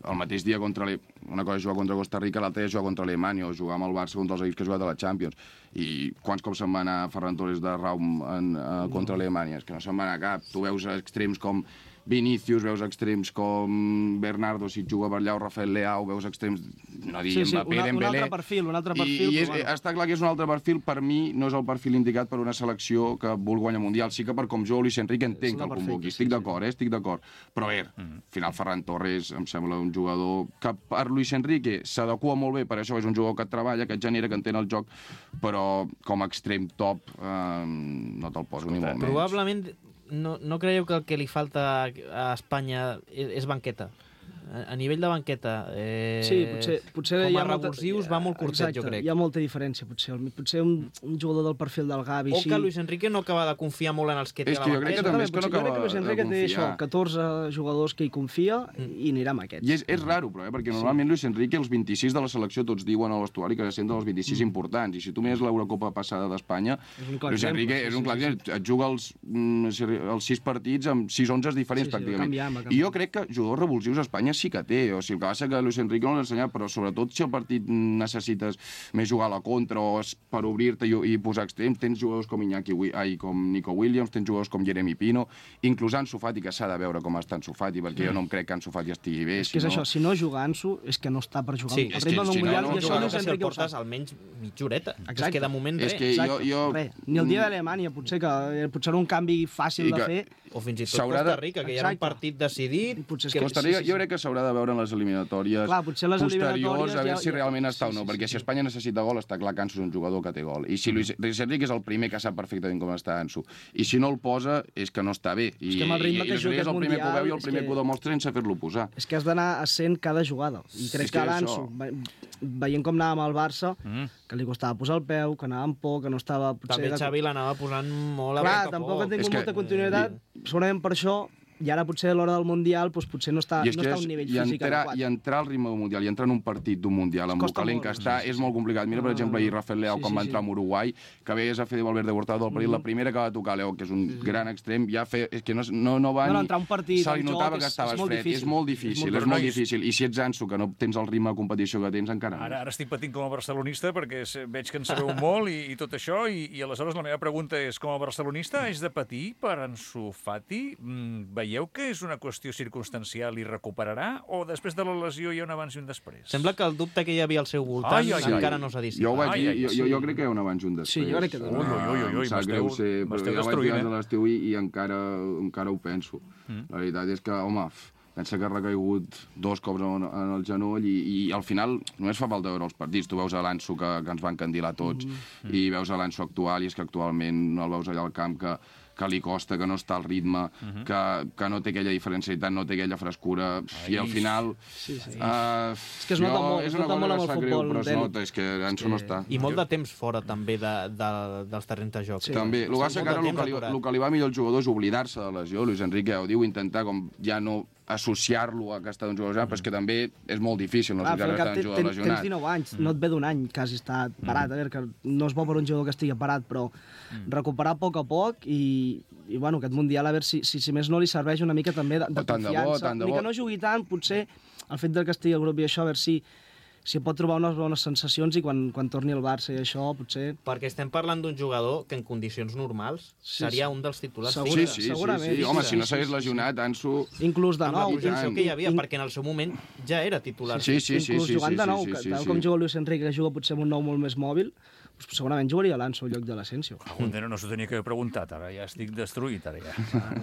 Speaker 4: el mateix dia contra le... una cosa és jugar contra Costa Rica, l'altra és jugar contra Alemanya o jugar amb el Barça contra els equips que ha jugat a la Champions. I quants cops se'n va anar Ferran Torres de Raum en, uh, contra Alemanya? És que no se'n va anar cap. Tu veus extrems com Vinícius, veus extrems com Bernardo, si juga per allà, o Rafael Leao, veus extrems, no dir
Speaker 3: Sí, sí,
Speaker 4: Mbappé,
Speaker 3: una, un
Speaker 4: Dembélé...
Speaker 3: altre perfil, un altre
Speaker 4: I,
Speaker 3: perfil.
Speaker 4: i és,
Speaker 3: però, bueno.
Speaker 4: està clar que és un altre perfil. Per mi no és el perfil indicat per una selecció que vol guanyar Mundial. Sí que per com jo, Luis Enrique, entenc que el
Speaker 3: perfecte,
Speaker 4: convoqui.
Speaker 3: sí,
Speaker 4: Estic
Speaker 3: sí.
Speaker 4: d'acord, eh? Estic d'acord. Però a veure, al final Ferran Torres em sembla un jugador que per Luis Enrique s'adequa molt bé, per això és un jugador que et treballa, que et genera, que entén el joc, però com a extrem top eh, no te'l poso ni molt menys.
Speaker 2: Probablement no, no creieu que el que li falta a Espanya és, és banqueta? A, a nivell de banqueta, eh,
Speaker 3: Sí, potser, potser
Speaker 2: com
Speaker 3: hi
Speaker 2: a
Speaker 3: ha molta-
Speaker 2: revulsius va molt curtet,
Speaker 3: Exacte,
Speaker 2: jo crec.
Speaker 3: hi ha molta diferència, potser. Potser un, un jugador del perfil del Gavi...
Speaker 2: O
Speaker 3: així...
Speaker 2: que Luis Enrique no acaba de confiar molt en els que té
Speaker 4: És
Speaker 2: a
Speaker 4: que
Speaker 2: la
Speaker 4: jo crec que
Speaker 2: banqueta.
Speaker 4: també és que no
Speaker 3: Potser jo crec
Speaker 4: acaba
Speaker 3: que Luis Enrique
Speaker 4: de
Speaker 3: té això,
Speaker 4: confiar.
Speaker 3: catorze jugadors que hi confia i anirà amb aquests.
Speaker 4: I és, és raro, però, eh? perquè normalment Luis Enrique, els vint-i-sis de la selecció, tots diuen a l'estuari que se senten els vint-i-sis
Speaker 3: Mm.
Speaker 4: importants. I si tu mires l'Eurocopa passada d'Espanya,
Speaker 3: És un clar
Speaker 4: Luis
Speaker 3: exemple,
Speaker 4: Enrique
Speaker 3: sí,
Speaker 4: és un
Speaker 3: sí,
Speaker 4: clar
Speaker 3: sí.
Speaker 4: exemple. Et juga els, mm, els sis partits amb sis onzes diferents,
Speaker 3: Sí, sí, va
Speaker 4: pràcticament.
Speaker 3: canviant, va
Speaker 4: I
Speaker 3: canviant.
Speaker 4: jo crec que jugadors revulsius a Espanya sí que té, o sigui, el que passa que Luis Enrique no l'ha ensenyat, però sobretot si el partit necessites més jugar a la contra o per obrir-te i, i posar extrems, tens jugadors com Iñaki, ai, com Nico Williams, tens jugadors com Jeremy Pino, inclús Ansu Fati, que s'ha de veure com està Ansu Fati, perquè mm. jo no em crec que Ansu Fati estigui bé.
Speaker 3: És que és això, si no juga Ansu, és que no està per jugar.
Speaker 2: Sí,
Speaker 3: el ritme d'un
Speaker 4: si
Speaker 3: mundial,
Speaker 4: no, no,
Speaker 3: i això
Speaker 2: no,
Speaker 3: Luis
Speaker 2: si el
Speaker 3: Enrique ho
Speaker 2: portes
Speaker 3: sap.
Speaker 2: almenys mitja horeta.
Speaker 3: Exacte.
Speaker 2: És que de moment
Speaker 4: És
Speaker 2: res.
Speaker 4: que jo, jo...
Speaker 3: Res. Ni el dia d'Alemanya, potser que potser un canvi fàcil
Speaker 4: I
Speaker 3: de
Speaker 4: que-
Speaker 3: fer.
Speaker 2: O fins i tot
Speaker 4: S'haurà
Speaker 2: Costa
Speaker 4: de-
Speaker 2: Rica, que ja era un
Speaker 3: Exacte.
Speaker 2: partit decidit.
Speaker 3: Potser és
Speaker 2: que-
Speaker 3: que-
Speaker 4: Costa
Speaker 3: sí,
Speaker 4: Rica,
Speaker 3: sí, sí.
Speaker 4: jo crec que s'haurà de veure en les eliminatòries
Speaker 3: Clar, potser les
Speaker 4: posteriors
Speaker 3: eliminatòries
Speaker 4: a veure
Speaker 3: ja-
Speaker 4: si
Speaker 3: ja-
Speaker 4: realment està o
Speaker 3: sí,
Speaker 4: no,
Speaker 3: sí,
Speaker 4: perquè
Speaker 3: sí.
Speaker 4: si Espanya necessita gol, està clar que Ansu és un jugador que té gol. I si Luis, Luis Enrique és el primer que sap perfectament com està Ansu, i si no el posa, és que no està bé. I,
Speaker 3: És que amb el ritme
Speaker 4: i,
Speaker 3: que
Speaker 4: i Luis
Speaker 3: juga
Speaker 4: Enrique és el
Speaker 3: aquest
Speaker 4: primer que ho veu i
Speaker 3: Mundial,
Speaker 4: el primer
Speaker 3: és
Speaker 4: que ho demostra sense fer-lo posar.
Speaker 3: És que has d'anar a cent cada jugada. I crec
Speaker 4: És
Speaker 3: que
Speaker 4: que
Speaker 3: l'Ansu,
Speaker 4: això-
Speaker 3: ve- veient com anava amb el Barça,
Speaker 1: Mm.
Speaker 3: que li costava posar el peu, que anava amb por, que no estava... Potser
Speaker 2: També
Speaker 3: de-
Speaker 2: Xavi l'anava posant molt a
Speaker 3: Clar,
Speaker 2: poc a
Speaker 3: tampoc ha
Speaker 2: poc.
Speaker 3: tingut
Speaker 4: És que-
Speaker 3: molta continuïtat, segurament per això, i ara potser a l'hora del Mundial doncs potser no està,
Speaker 4: I és
Speaker 3: no
Speaker 4: que
Speaker 3: està a
Speaker 4: és,
Speaker 3: un nivell
Speaker 4: i,
Speaker 3: físic
Speaker 4: entrar,
Speaker 3: adequat.
Speaker 4: i entrar al ritme del Mundial i entrar en un partit d'un Mundial amb el
Speaker 3: Costa
Speaker 4: calent
Speaker 3: molt,
Speaker 4: que està és molt complicat. Mira, per exemple, ahir Rafael Leao,
Speaker 3: Sí,
Speaker 4: quan
Speaker 3: sí,
Speaker 4: va
Speaker 3: sí.
Speaker 4: entrar amb Uruguai, que veies a Fede Valverde Hurtado del partit, la primera que va tocar Leao, que és un gran extrem, ja fe, és que no, no, no va
Speaker 3: No, no,
Speaker 4: ni...
Speaker 3: entrar a un partit
Speaker 4: Se li
Speaker 3: en joc
Speaker 4: notava
Speaker 3: és-
Speaker 4: que
Speaker 3: és
Speaker 4: estaves
Speaker 3: molt
Speaker 4: fred.
Speaker 3: difícil.
Speaker 4: És molt
Speaker 3: És
Speaker 4: difícil,
Speaker 3: molt
Speaker 4: és molt
Speaker 1: difícil.
Speaker 4: difícil. I si ets Ansu, que no tens el ritme de competició que tens, encara
Speaker 1: Ara,
Speaker 4: més.
Speaker 1: ara estic patint com a barcelonista perquè se- veig que en sabeu molt i, i tot això, i, i aleshores la meva pregunta és, com a barcelonista, és de patir per Ansu Fati? Mm, veieu que és una qüestió circumstancial i recuperarà, o després de la lesió hi ha un abans i un després?
Speaker 2: Sembla que el dubte que hi havia al seu voltant
Speaker 1: Ai, ai, ai.
Speaker 2: encara no s'ha dissipat.
Speaker 4: Jo ho vaig
Speaker 1: Ai,
Speaker 4: dir,
Speaker 1: ai,
Speaker 4: jo,
Speaker 1: sí.
Speaker 4: jo, jo crec que hi ha un abans i un després.
Speaker 3: Sí, jo crec que també.
Speaker 1: Ui, ui, ui, ui,
Speaker 4: Em sap
Speaker 1: m'esteu-
Speaker 4: greu ser, però
Speaker 1: m'esteu
Speaker 4: ja ho vaig dir
Speaker 1: destruint,
Speaker 4: abans
Speaker 1: eh?
Speaker 4: de l'estiu i, i encara, encara ho penso.
Speaker 1: Mm.
Speaker 4: La veritat és que, home, f- pensa que ha recaigut dos cops en, en el genoll i, i al final només fa falta veure els partits. Tu veus a l'Ansu que, que ens va encandilar tots
Speaker 1: Mm.
Speaker 4: i veus a l'Ansu actual i és que actualment no el veus allà al camp que, que li costa, que no està al ritme,
Speaker 1: Mhm.
Speaker 4: que, que no té aquella diferencialitat, no té aquella frescura i al
Speaker 1: Ai.
Speaker 4: final...
Speaker 3: Sí, sí.
Speaker 4: Uh,
Speaker 3: És que es nota molt, es nota molt amb el futbol
Speaker 4: però es
Speaker 3: d'elit.
Speaker 4: nota, és que Ansu no està.
Speaker 2: I molt de temps fora, també, de, de, dels terrenys de joc.
Speaker 3: Sí.
Speaker 4: També. El que passa
Speaker 2: Molt
Speaker 4: que ara
Speaker 2: de
Speaker 4: el
Speaker 2: temps
Speaker 4: que, li,
Speaker 2: aturat.
Speaker 4: el que li va millor al jugador és oblidar-se de la lesió. Luis Enrique ja ho diu, intentar com ja no associar-lo a que està d'un jugador lesionat, però és que també és molt difícil no
Speaker 3: Ah,
Speaker 4: associar
Speaker 3: però
Speaker 4: que
Speaker 3: cap,
Speaker 4: està
Speaker 3: ten,
Speaker 4: d'un
Speaker 3: ten,
Speaker 4: jugador
Speaker 3: tens
Speaker 4: lesionat.
Speaker 3: dinou anys, no et ve d'un any quasi estar parat, a veure, que no és bo per un jugador que estigui parat, però recuperar a poc a poc i, i bueno, aquest Mundial, a veure si, si, si més no li serveix una mica també de, de
Speaker 4: Oh, tant de bo,
Speaker 3: confiança,
Speaker 4: tant de
Speaker 3: ni
Speaker 4: bo.
Speaker 3: que no jugui tant, potser el fet de que estigui al grup i això, a veure si, si pot trobar unes bones sensacions i quan, quan torni al Barça i això, potser...
Speaker 2: Perquè estem parlant d'un jugador que en condicions normals
Speaker 3: Sí,
Speaker 2: seria
Speaker 3: sí.
Speaker 2: un dels titulars
Speaker 3: Segur.
Speaker 4: Sí,
Speaker 2: fixes.
Speaker 4: sí, sí,
Speaker 3: Segurament.
Speaker 4: sí. Home,
Speaker 3: Sí,
Speaker 4: si no
Speaker 3: sí,
Speaker 4: s'hagués
Speaker 3: sí, sí.
Speaker 4: lesionat, Ansu...
Speaker 3: Inclús de
Speaker 2: Amb la
Speaker 3: nou.
Speaker 2: potenciació
Speaker 4: tant.
Speaker 2: que hi havia,
Speaker 3: In-
Speaker 2: perquè en el seu moment ja era titular.
Speaker 4: Sí, sí, sí,
Speaker 3: inclús
Speaker 4: sí,
Speaker 3: jugant
Speaker 4: sí,
Speaker 3: de nou,
Speaker 4: sí,
Speaker 3: que
Speaker 4: sí,
Speaker 3: tal
Speaker 4: sí.
Speaker 3: com juga Luis Enrique, que juga potser amb un nou molt més mòbil, doncs segurament jugaria l'Anso al lloc de l'Asensio.
Speaker 1: Algun dia no s'ho tenia que haver preguntat, ara ja estic destruït, ara ja.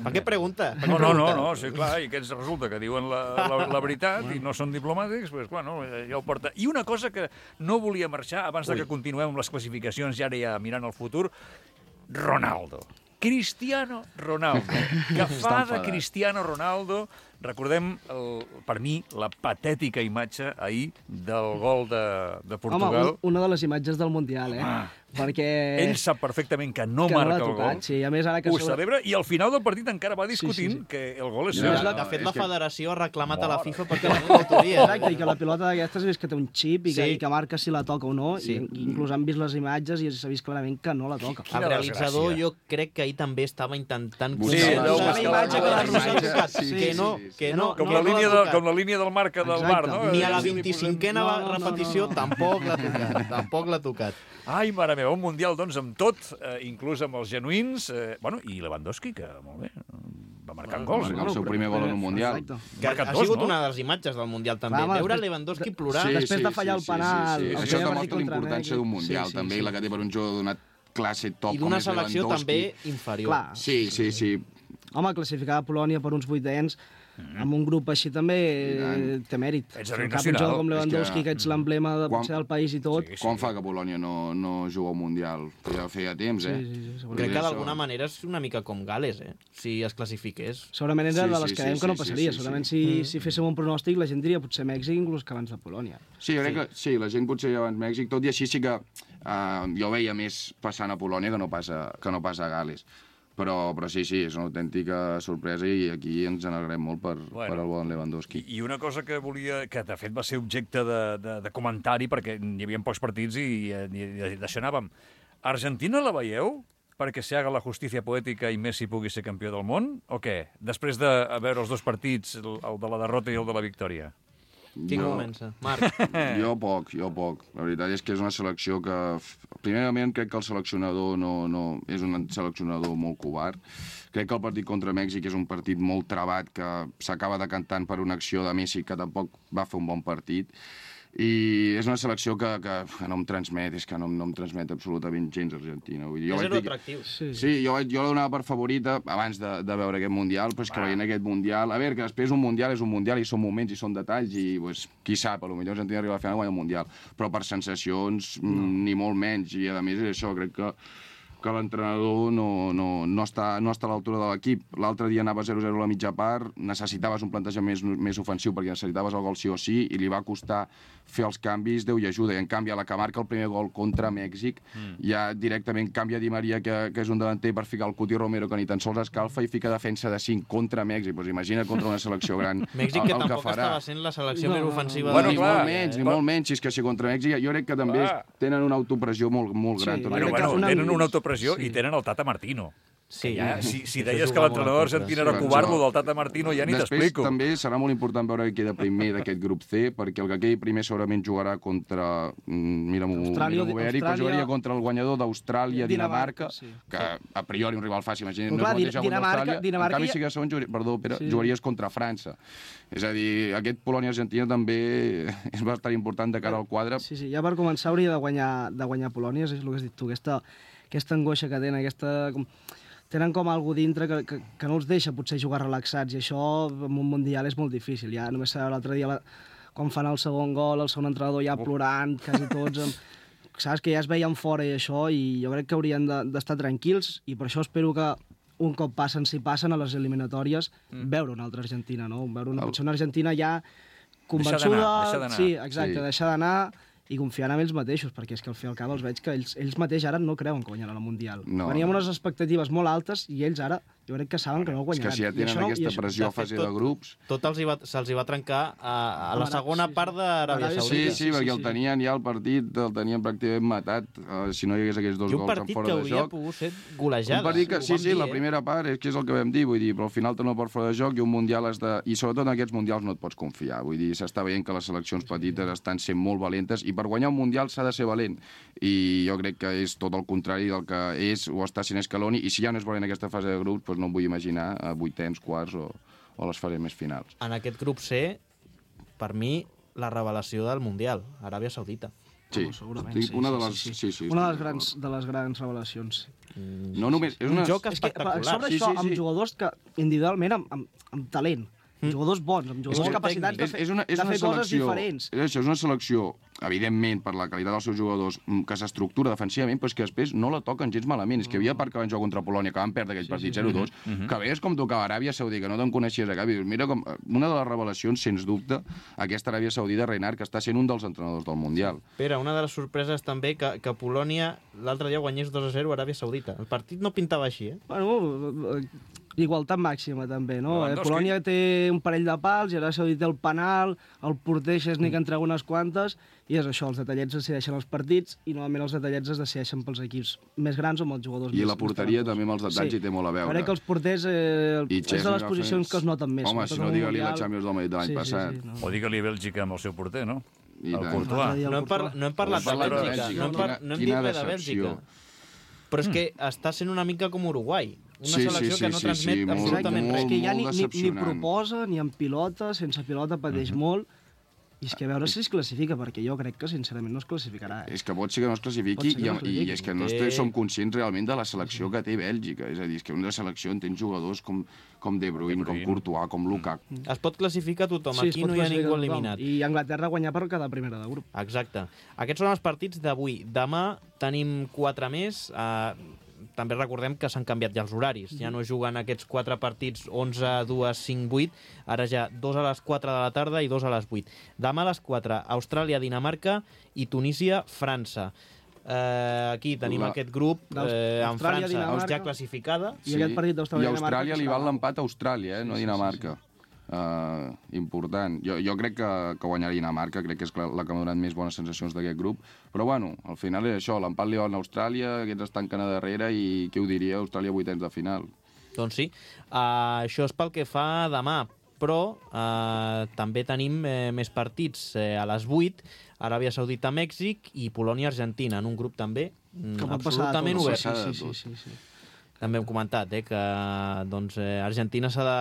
Speaker 2: Per què pregunta? Per què
Speaker 1: No, no, no,
Speaker 2: pregunta?
Speaker 1: no, sí, clar, i aquests resulta que diuen la, la, la veritat i no són diplomàtics, doncs, clar, no, ja ho porta. I una cosa que no volia marxar, abans de que continuem amb les classificacions, ja ara ja mirant el futur, Ronaldo. Cristiano Ronaldo. Que fa de
Speaker 4: enfadat.
Speaker 1: Cristiano Ronaldo, recordem, el, per mi, la patètica imatge ahir del gol de, de Portugal.
Speaker 3: Home, un, una de les imatges del Mundial, eh?
Speaker 1: Ah.
Speaker 3: Perquè...
Speaker 1: Ell sap perfectament que no
Speaker 3: que
Speaker 1: marca
Speaker 3: l'ha
Speaker 1: el
Speaker 3: tocat,
Speaker 1: gol.
Speaker 3: sí, a més ara que...
Speaker 1: Ho
Speaker 3: sobre-
Speaker 1: celebra i al final del partit encara va discutint
Speaker 3: Sí, sí, sí.
Speaker 1: que el gol és
Speaker 4: Ja,
Speaker 1: seu.
Speaker 3: És la-
Speaker 2: De fet,
Speaker 4: és
Speaker 2: la
Speaker 4: que-
Speaker 2: federació ha reclamat a la
Speaker 1: Mare.
Speaker 2: FIFA perquè no l'autoria.
Speaker 3: Exacte, i que la pilota d'aquestes és que té un xip i que,
Speaker 2: Sí.
Speaker 3: i que marca si la toca o no,
Speaker 2: Sí.
Speaker 3: i inclús han vist les imatges i s'ha vist clarament que no la toca.
Speaker 1: Quina
Speaker 2: El realitzador
Speaker 1: desgràcia.
Speaker 2: jo crec que ahir també estava intentant
Speaker 4: Sí,
Speaker 2: convèncer
Speaker 1: deu
Speaker 2: la
Speaker 1: buscar
Speaker 2: imatge
Speaker 1: la-
Speaker 2: que
Speaker 1: la
Speaker 2: la Rosa ha
Speaker 4: imatge,
Speaker 2: tocat,
Speaker 4: sí,
Speaker 2: que
Speaker 4: sí,
Speaker 2: no,
Speaker 4: sí, sí.
Speaker 2: que no,
Speaker 1: Com
Speaker 2: que
Speaker 1: la,
Speaker 2: no l'ha
Speaker 1: línia de,
Speaker 2: tocat.
Speaker 1: com la línia del marca del bar,
Speaker 3: Exacte.
Speaker 1: no?
Speaker 2: Ni a la
Speaker 1: Sí,
Speaker 2: vint-i-cinquena
Speaker 3: No, no, no,
Speaker 2: repetició
Speaker 3: no.
Speaker 2: tampoc l'ha tocat, tampoc l'ha tocat.
Speaker 1: Ai, mare meva, un Mundial, doncs, amb tot, eh, inclús amb els genuïns. Eh, bueno, i Lewandowski, que, molt bé, va marcant gols.
Speaker 4: marcar el
Speaker 1: No?
Speaker 4: seu primer gol en un Mundial.
Speaker 3: Exacte.
Speaker 2: Que
Speaker 1: Marcat
Speaker 2: ha
Speaker 1: dos,
Speaker 2: sigut
Speaker 1: no?
Speaker 2: una de les imatges del Mundial també.
Speaker 3: Clar, home,
Speaker 2: Veure
Speaker 3: després-
Speaker 2: Lewandowski plorar...
Speaker 3: Sí. després de fallar el penal,
Speaker 4: Sí,
Speaker 3: el
Speaker 4: sí, sí.
Speaker 3: primer
Speaker 4: Això
Speaker 3: partit
Speaker 4: demostra
Speaker 3: contra
Speaker 4: l'importància
Speaker 3: Mèxic.
Speaker 4: d'un Mundial,
Speaker 3: Sí, sí,
Speaker 4: també,
Speaker 3: sí.
Speaker 4: i la que té per un jugador d'una classe top
Speaker 2: I
Speaker 4: com
Speaker 2: d'una
Speaker 4: és
Speaker 2: selecció
Speaker 4: Lewandowski.
Speaker 2: també inferior.
Speaker 3: Clar.
Speaker 4: Sí, sí, sí.
Speaker 3: Home, classificar a Polònia per uns vuitens amb un grup així també eh, té mèrit.
Speaker 1: Ets
Speaker 3: Fer
Speaker 1: heroi
Speaker 3: un cap un
Speaker 1: nacional.
Speaker 3: jugador com
Speaker 4: És
Speaker 3: Lewandowski,
Speaker 4: que-
Speaker 3: que ets l'emblema de,
Speaker 4: Quan-
Speaker 3: potser del país i tot.
Speaker 1: Sí, sí.
Speaker 4: Quan fa que Polònia no, no juga al Mundial? Ja feia temps, eh?
Speaker 3: Sí, sí, sí, segurament.
Speaker 2: Crec que
Speaker 4: Això-
Speaker 2: d'alguna manera és una mica com Gales, eh? Si es classifiqués.
Speaker 3: Segurament era
Speaker 4: Sí,
Speaker 3: de les
Speaker 4: sí,
Speaker 3: que
Speaker 4: sí,
Speaker 3: dèiem que no
Speaker 4: sí, sí,
Speaker 3: passaria.
Speaker 4: sí, sí.
Speaker 3: Segurament si, si féssim un pronòstic, la gent diria potser Mèxic inclús que abans de Polònia.
Speaker 4: Sí, jo crec que sí, la gent potser abans Mèxic, tot i així sí que uh, jo veia més passant a Polònia que no passa, que no passa a Gales. Però, però sí, sí, és una autèntica sorpresa i aquí ens n'alegrem molt per,
Speaker 1: Bueno.
Speaker 4: bueno. per el bon Lewandowski.
Speaker 1: I una cosa que volia, que de fet va ser objecte de, de, de comentari, perquè hi havia pocs partits i, i, i d'això anàvem. Argentina la veieu perquè se haga la justícia poètica i Messi pugui ser campió del món, o què? Després de veure els dos partits, el, el de la derrota i el de la victòria.
Speaker 2: Qui
Speaker 4: Jo-
Speaker 2: comença? Marc.
Speaker 4: Jo poc, jo poc. La veritat és que és una selecció que... Primerament, crec que el seleccionador no, no, és un seleccionador molt covard. Crec que el partit contra Mèxic és un partit molt trabat que s'acaba decantant per una acció de Messi que tampoc va fer un bon partit. I és una selecció que, que, que no em transmet, és que no, no em transmet absolutament gens Argentina. Vull dir, jo
Speaker 2: És
Speaker 4: vaig
Speaker 2: zero
Speaker 4: dir que-
Speaker 2: atractiu.
Speaker 3: Sí,
Speaker 4: Sí, jo, vaig- jo la donava per favorita abans de, de veure aquest Mundial, però és que veient aquest Mundial... A veure, que després un Mundial és un Mundial i són moments i són detalls i, pues, qui sap, potser Argentina arriba a la final i guanya el Mundial. Però per sensacions, no. ni molt menys. I, a més, és això, crec que que l'entrenador no, no, no, està, no està a l'altura de l'equip. L'altre dia anava zero zero a la mitja part, necessitaves un plantejament més, més ofensiu perquè necessitaves el gol sí o sí i li va costar fer els canvis, Déu i ajuda. I en canvi, a la que marca el primer gol contra Mèxic, mm. ja directament canvia Di Maria, que, que és un davanter, per ficar el Cuti Romero, que ni tan sols escalfa, i fica defensa de cinc contra Mèxic. Pues imagina contra una selecció gran
Speaker 2: Mèxic,
Speaker 4: el,
Speaker 2: que
Speaker 4: el
Speaker 2: tampoc
Speaker 4: que farà.
Speaker 2: estava sent la selecció
Speaker 3: No,
Speaker 2: més
Speaker 3: no, no.
Speaker 2: ofensiva
Speaker 1: Bueno,
Speaker 2: de
Speaker 4: ni
Speaker 1: clar,
Speaker 4: molt menys, ni
Speaker 1: eh,
Speaker 4: molt menys. És que si contra Mèxic jo crec que també
Speaker 1: clar.
Speaker 4: tenen una autopressió molt, molt gran.
Speaker 3: Sí,
Speaker 4: també.
Speaker 1: Bueno,
Speaker 3: crec que
Speaker 1: bueno,
Speaker 3: una-
Speaker 1: tenen una autopressió
Speaker 3: sí.
Speaker 1: i tenen el Tata Martino.
Speaker 2: Sí,
Speaker 1: Ja, si, si
Speaker 2: Això
Speaker 1: deies que
Speaker 2: juga molt
Speaker 1: l'entrenador
Speaker 2: en contra.
Speaker 1: argentí era
Speaker 4: Sí,
Speaker 1: covard,
Speaker 4: això-
Speaker 1: lo del Tata Martino ja ni
Speaker 4: Després
Speaker 1: t'explico.
Speaker 4: també serà molt important veure qui queda primer d'aquest grup C, perquè el que quedi primer segurament jugarà contra... mm, Mira-m'ho
Speaker 3: Austràlia,
Speaker 4: mira bé, Eric, però
Speaker 3: Austràlia-
Speaker 4: jugaria contra el guanyador d'Austràlia-Dinamarca,
Speaker 3: Dinamarca, sí.
Speaker 4: que a priori un rival fàcil, imagina't,
Speaker 3: Però
Speaker 4: no
Speaker 3: clar,
Speaker 4: és el mateix
Speaker 3: Din-
Speaker 4: contra
Speaker 3: Dinamarca-
Speaker 4: Austràlia,
Speaker 3: Dinamarca
Speaker 4: en canvi
Speaker 3: ja-
Speaker 4: si que segon, jugaria, perdó, Pere,
Speaker 3: Sí.
Speaker 4: jugaries contra França. És a dir, aquest Polònia-Argentina també és bastant important de cara al quadre.
Speaker 3: Sí, sí, ja per començar hauria de guanyar, de guanyar Polònia, és el que has dit tu, aquesta, aquesta angoixa que tenen, aquesta... Com, tenen com algú dintre que, que, que no els deixa potser jugar relaxats, i això en un Mundial és molt difícil. Ja només sabeu l'altre dia, la, quan fan el segon gol, el segon entrenador ja plorant, quasi tots, amb, saps, que ja es veien fora i això, i jo crec que haurien de- d'estar tranquils, i per això espero que un cop passen, si passen a les eliminatòries, mm. veure una altra Argentina, no? Veure una, potser una Argentina ja convençuda...
Speaker 1: d'anar, deixar d'anar.
Speaker 3: Sí, exacte,
Speaker 4: Sí.
Speaker 3: deixar d'anar i confiant en ells mateixos, perquè és que al fi i al cap els veig que ells, ells mateix ara no creuen que guanyaran el Mundial.
Speaker 4: No.
Speaker 3: Veníem unes expectatives molt altes i ells ara jo crec que saben que no el
Speaker 4: És que
Speaker 3: guanyaran.
Speaker 4: si ja
Speaker 3: I
Speaker 4: tenen
Speaker 3: això no- i
Speaker 4: aquesta
Speaker 3: això-
Speaker 4: pressió a
Speaker 2: de fet,
Speaker 4: fase
Speaker 2: tot-
Speaker 4: de grups...
Speaker 2: Tot els hi va, se'ls hi va trencar a, a la
Speaker 3: Ara,
Speaker 2: segona
Speaker 3: sí, sí.
Speaker 2: part d'Aràbia
Speaker 3: Aràbia
Speaker 4: Sí,
Speaker 2: Saudita.
Speaker 4: sí,
Speaker 3: sí,
Speaker 4: perquè
Speaker 3: sí,
Speaker 4: el
Speaker 3: sí.
Speaker 4: tenien ja el partit, el tenien pràcticament matat, uh, si no hi hagués aquests dos
Speaker 2: I un
Speaker 4: gols en
Speaker 2: partit
Speaker 4: fora
Speaker 2: que
Speaker 4: de
Speaker 2: hauria
Speaker 4: joc.
Speaker 2: pogut ser golejada.
Speaker 4: Un partit que,
Speaker 2: ho
Speaker 4: sí,
Speaker 2: vam
Speaker 4: sí,
Speaker 2: dir,
Speaker 4: la
Speaker 2: eh?
Speaker 4: primera part és que és el que vam dir, vull dir, però al final te no pots fora de joc i un Mundial has de... I sobretot en aquests Mundials no et pots confiar, vull dir, s'està veient que les seleccions petites estan sent molt valentes i per guanyar un Mundial s'ha de ser valent, i jo crec que és tot el contrari del que és o està sent Scaloni, i si ja no és valent aquesta fase de grups, doncs no em vull imaginar a vuitens, quarts o, o les fases més finals.
Speaker 2: En aquest grup C, per mi, la revelació del Mundial, Aràbia Saudita.
Speaker 4: Sí,
Speaker 3: No, segurament,
Speaker 4: estic-
Speaker 3: sí,
Speaker 4: una
Speaker 3: sí,
Speaker 4: de les...
Speaker 3: sí,
Speaker 4: Sí, sí,
Speaker 3: Una de les
Speaker 4: estic
Speaker 3: grans, de les grans revelacions.
Speaker 4: No només... És
Speaker 2: Un
Speaker 4: una...
Speaker 2: joc
Speaker 3: És que, per
Speaker 2: espectacular.
Speaker 3: sobre
Speaker 4: Sí,
Speaker 3: això,
Speaker 4: sí, sí.
Speaker 3: amb jugadors que individualment, amb, amb, amb talent, amb jugadors bons, amb jugadors
Speaker 2: molt
Speaker 3: capacitats de
Speaker 4: És,
Speaker 3: fer,
Speaker 4: és una, és
Speaker 3: de
Speaker 4: una
Speaker 3: fer coses
Speaker 4: selecció,
Speaker 3: diferents.
Speaker 4: és això, és una selecció, evidentment, per la qualitat dels seus jugadors, mm, que s'estructura defensivament, però és que després no la toquen gens malament. És que hi havia part que van jugar contra Polònia, que van perdre aquell partit zero dos, que veies com tocava Aràbia Saudita, que no te'n coneixies a cap, i dius, mira com... Una de les revelacions, sens dubte, aquesta Aràbia Saudita, Reinhard, que està sent un dels entrenadors del Mundial.
Speaker 2: Pere, una de les sorpreses també que, que Polònia l'altre dia guanyés dos a zero a Aràbia Saudita. El partit no pintava així, eh?
Speaker 3: Bueno, eh, igualtat màxima també, no? Eh,
Speaker 1: Lewandowski.
Speaker 3: Polònia té un parell de pals, i ara Saudita té el penal, el porter Szczesny que entrega unes quantes, i és això, els detallets decideixen els partits, i normalment els detallets es decideixen pels equips més grans o amb els jugadors
Speaker 4: I
Speaker 3: més
Speaker 4: la porteria
Speaker 3: més
Speaker 4: també amb els detalls
Speaker 3: Sí.
Speaker 4: hi té molt a veure.
Speaker 3: Crec que els porters eh,
Speaker 4: I
Speaker 3: és de
Speaker 4: Szczesny
Speaker 3: les
Speaker 4: va
Speaker 3: posicions
Speaker 4: fer-
Speaker 3: que es noten més.
Speaker 4: Home,
Speaker 3: sobretot
Speaker 4: si no,
Speaker 3: en un
Speaker 4: digue-li la
Speaker 3: Mundial.
Speaker 4: Champions del de l'any
Speaker 3: Sí, sí,
Speaker 4: passat.
Speaker 3: sí, no.
Speaker 1: O digue-li Bèlgica amb el seu porter, no?
Speaker 4: I
Speaker 1: el
Speaker 4: tant.
Speaker 1: Courtois.
Speaker 3: L'altre dia el
Speaker 2: No hem, par
Speaker 3: Courtois.
Speaker 2: no hem parlat de
Speaker 4: Parlat de
Speaker 2: Bèlgica,
Speaker 4: Bèlgica,
Speaker 2: no hem, par
Speaker 4: quina-
Speaker 2: no hem dit
Speaker 4: quina
Speaker 2: res de
Speaker 4: decepció.
Speaker 2: Bèlgica. Però és que està sent una mica com Uruguai. Una
Speaker 4: Sí, sí,
Speaker 2: selecció
Speaker 4: sí,
Speaker 2: que no
Speaker 4: sí,
Speaker 2: transmet
Speaker 4: sí, molt-
Speaker 2: absolutament
Speaker 3: És
Speaker 2: res.
Speaker 3: que ja ni,
Speaker 4: molt
Speaker 3: ni, ni
Speaker 4: decepcionant.
Speaker 3: proposa, ni en pilota, sense pilota pateix molt, i és que a veure si es classifica, perquè jo crec que sincerament no es classificarà. Eh?
Speaker 4: És que pot ser que no es classifiqui
Speaker 3: Pot ser que
Speaker 4: i,
Speaker 3: no es
Speaker 4: i,
Speaker 3: classifiqui.
Speaker 4: és que no
Speaker 2: Té-
Speaker 4: té... som conscients realment de la selecció que té Bèlgica. És a dir, és que una selecció en tens jugadors com, com De Bruyne,
Speaker 1: De Bruyne.
Speaker 4: com Courtois, com Lukaku.
Speaker 2: Es pot classificar tothom,
Speaker 3: es
Speaker 2: aquí
Speaker 3: pot
Speaker 2: no hi ha
Speaker 3: classificar
Speaker 2: ningú
Speaker 3: tothom.
Speaker 2: eliminat.
Speaker 3: I Anglaterra guanyar per cada primera de grup.
Speaker 2: Exacte. Aquests són els partits d'avui. Demà tenim quatre més. Uh, també recordem que s'han canviat ja els horaris. Ja no juguen aquests quatre partits onze, dos, cinc, vuit. Ara ja dos a les quatre de la tarda i dos a les vuit. Demà a les quatre, Austràlia, Dinamarca i Tunísia, França. Uh, aquí tenim
Speaker 4: La-
Speaker 2: aquest grup eh, amb
Speaker 3: Austràlia,
Speaker 2: França
Speaker 3: Dinamarca.
Speaker 2: ja classificada.
Speaker 3: I aquest partit
Speaker 4: I
Speaker 3: d'Austràlia-Dinamarca
Speaker 4: Austràlia li
Speaker 3: serà
Speaker 4: val
Speaker 3: l'Au.
Speaker 4: l'empat a Austràlia, eh, no a
Speaker 3: Sí, sí,
Speaker 4: Dinamarca. Uh, important. Jo, jo crec que, que guanyarà Dinamarca, crec que és la que m'ha donat més bones sensacions d'aquest grup, però bueno, al final és això, l'empat li va a Austràlia, aquests es tanquen a darrere i què ho diria, Austràlia vuitens de final.
Speaker 2: Doncs sí, uh, això és pel que fa demà, però uh, també tenim eh, més partits eh, a les vuit, Aràbia Saudita, Mèxic i Polònia-Argentina, en un grup també mm, absolutament obert.
Speaker 3: Sí, sí, sí, sí.
Speaker 2: També hem comentat eh, que doncs, eh, Argentina s'ha de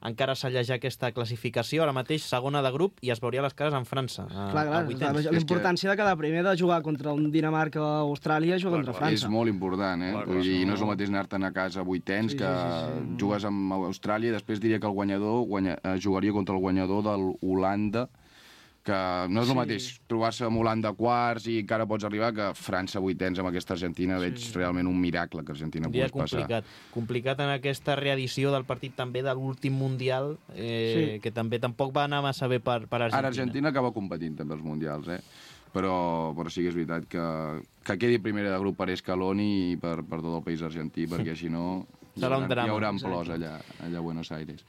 Speaker 2: encara sallejar aquesta classificació, ara mateix segona de grup, i es veuria les cares en França. A,
Speaker 3: clar, clar,
Speaker 2: a
Speaker 3: la importància de cada primer de jugar contra un Dinamarca o Austràlia jugar contra França.
Speaker 4: És molt important, eh? Clar, clar, Vull dir, no és el mateix anar-te'n a casa a vuitens sí, que sí, sí, sí. jugues amb Austràlia i després diria que el guanyador guanya, jugaria contra el guanyador de l'Holanda, que no és el sí. mateix trobar-se amb Holanda quarts i encara pots arribar que França vuitens amb aquesta Argentina sí. veig realment un miracle que Argentina pogués
Speaker 2: complicat. passar. Complicat en aquesta reedició del partit també de l'últim Mundial, eh, sí. que també tampoc va anar massa bé per, per Argentina.
Speaker 4: Ara Argentina acaba competint també els Mundials, eh? Però, però sí que és veritat que, que quedi primera de grup per Scaloni i per, per tot el país argentí, perquè si no hi haurà, hi haurà plors allà, allà a Buenos Aires.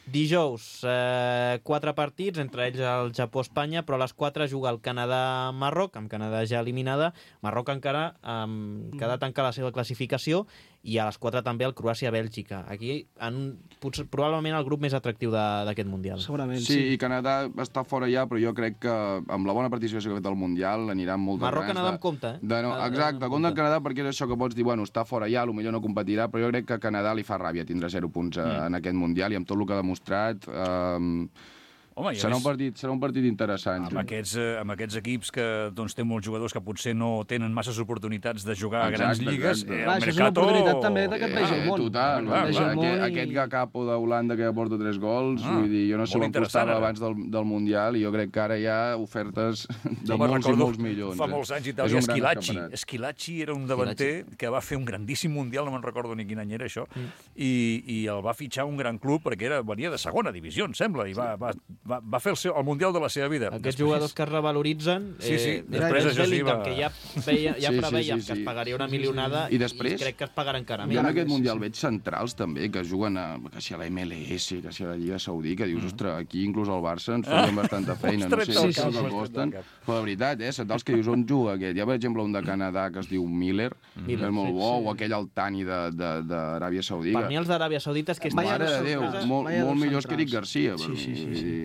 Speaker 2: Dijous, eh, quatre partits, entre ells el Japó-Espanya, però a les quatre juga el Canadà-Marroc, amb Canadà ja eliminada. Marroc encara eh, queda tancar la seva classificació, i a les quatre també el Croàcia-Bèlgica. Aquí, en, potser, probablement el grup més atractiu d'aquest Mundial.
Speaker 3: Segurament,
Speaker 4: sí. Sí, i Canadà està fora ja, però jo crec que amb la bona participació que ha fet al Mundial aniran molt de
Speaker 2: Marroc-Canadà en compte, eh?
Speaker 4: De no, exacte, en compte el Canadà, perquè és això que pots dir, bueno, està fora ja, potser no competirà, però jo crec que a Canadà li fa ràbia tindre zero punts mm. en aquest Mundial, i amb tot el que ha demostrat... Eh, Home, serà, un partit, serà un partit interessant.
Speaker 1: Amb aquests, eh, amb aquests equips que doncs, té molts jugadors que potser no tenen masses oportunitats de jugar exacte, a grans lligues.
Speaker 3: Eh, clar, això és una oportunitat també que et vegi el món.
Speaker 4: Total, clar, clar, aquest, i... aquest Gakapo d'Holanda que ja porta tres gols, ah, vull dir, jo no sé on costava abans del, del Mundial, i jo crec que ara hi ha ofertes de sí, molts i molts milions.
Speaker 1: Fa molts anys Itàlia, Esquilaci. Esquilaci era un davanter que va fer un grandíssim Mundial, no me'n recordo ni quin any era això, mm. i, i el va fitxar un gran club perquè era, venia de segona divisió, em sembla, i va, va, va, va fer el seu, el Mundial de la seva vida.
Speaker 2: Aquests després... jugadors que es revaloritzen,
Speaker 1: sí, sí.
Speaker 2: Eh, després
Speaker 1: això sí, va...
Speaker 2: que ja, veia, ja sí, preveiem sí, sí, sí. que es pagaria una milionada, sí, sí, sí. I,
Speaker 4: després,
Speaker 2: i crec que es pagarà encara més.
Speaker 4: Jo en aquest Mundial veig centrals també, que juguen a, que si a la M L S, que si a la Lliga Saudí, que dius, mm. ostres, aquí inclús al Barça ens farien ah. bastanta feina, no sé sí, sí, sí, costen, però de veritat, eh, centrals que dius on juga aquest. Hi ha, per exemple, un de Canadà que es diu Miller, mm. que és molt bo, sí, sí. o aquell Altani d'Aràbia Saudita.
Speaker 2: Per mi els d'Aràbia Saudita és que...
Speaker 4: Mare de Déu, molt, molt millors que Eric Garcia.
Speaker 2: Sí, sí, sí, sí.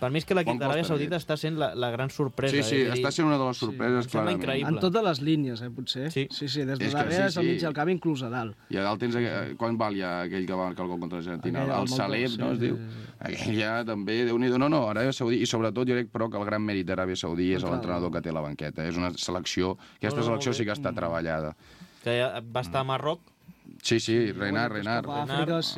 Speaker 2: Per mi és que l'equip d'Aràbia Saudita està sent la, la gran sorpresa.
Speaker 4: Sí, sí,
Speaker 2: eh?
Speaker 4: està sent una de les sorpreses,
Speaker 2: sí,
Speaker 4: clarament.
Speaker 2: Increïble.
Speaker 3: En totes les línies, eh, potser.
Speaker 2: Sí,
Speaker 3: sí, sí des de darrere, sí, sí. al mig del camp, inclús a dalt.
Speaker 4: I a dalt tens... Quan val ja aquell que va marcar el gol contra l'Argentina? El, el Salem, no es diu? Aquell ja també, Déu-n'hi-do. No, no, Aràbia Saudí, i sobretot jo crec, però, que el gran mèrit d'Aràbia Saudí és l'entrenador que té a la banqueta. És una selecció... Aquesta selecció sí que està treballada.
Speaker 2: Que va estar a Marroc.
Speaker 4: Sí, sí, Renard, Renard.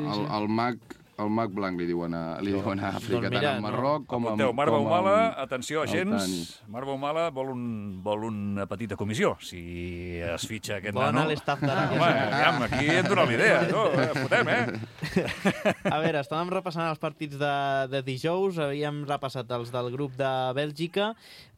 Speaker 4: El, el mag... El mag blanc li diuen a, li diuen a Àfrica, doncs mira, tant a Marroc no. com a...
Speaker 1: Apunteu, Marc Baumala, atenció, agents, Marc Baumala vol, un, vol una petita comissió, si es fitxa aquest
Speaker 2: Bona
Speaker 1: nano.
Speaker 2: Bona l'estaf d'Aràbia.
Speaker 1: Home, aviam, aquí hem donat l'idea, no? Fotem, eh?
Speaker 2: A veure, estàvem repassant els partits de, de dijous, havíem repassat els del grup de Bèlgica,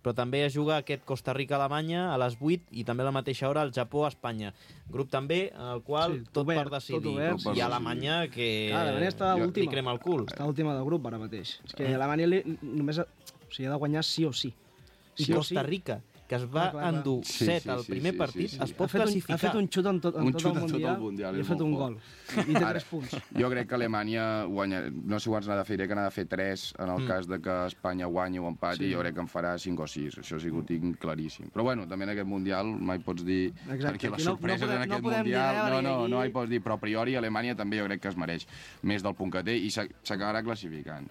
Speaker 2: però també es juga aquest Costa Rica-Alemanya a les vuit i també a la mateixa hora el Japó-Espanya. Grup també en el qual sí, tot obert, per decidir. Tot obert, sí, I Alemanya que
Speaker 3: clar, Alemanya està última.
Speaker 2: Li crema el cul.
Speaker 3: Està última del grup ara mateix. És que Alemanya li, només ha, o sigui, ha de guanyar sí o sí.
Speaker 2: I sí Costa Rica, que es va clar, clar, endur sí, set sí, al primer sí, partit, sí, sí, sí. es pot
Speaker 3: ha
Speaker 2: classificar.
Speaker 3: Un, ha fet un xut en tot, en
Speaker 4: un
Speaker 3: tot,
Speaker 4: xut
Speaker 3: el, mundial,
Speaker 4: tot el Mundial
Speaker 3: i ha fet un gol. I té Ara, tres punts.
Speaker 4: Jo crec que Alemanya guanya... No sé quants n'ha de fer, crec que n'ha de fer tres en el mm. cas de que Espanya guanyi o empati, sí. Jo crec que en farà cinc o sis. Això sí que ho tinc claríssim. Però bueno, també en aquest Mundial mai pots dir... Exacte. Perquè les sorpreses no, no podem, en aquest no Mundial... No, no, no, no hi pots dir. Però a priori Alemanya també jo crec que es mereix més del punt que té i s'acabarà classificant.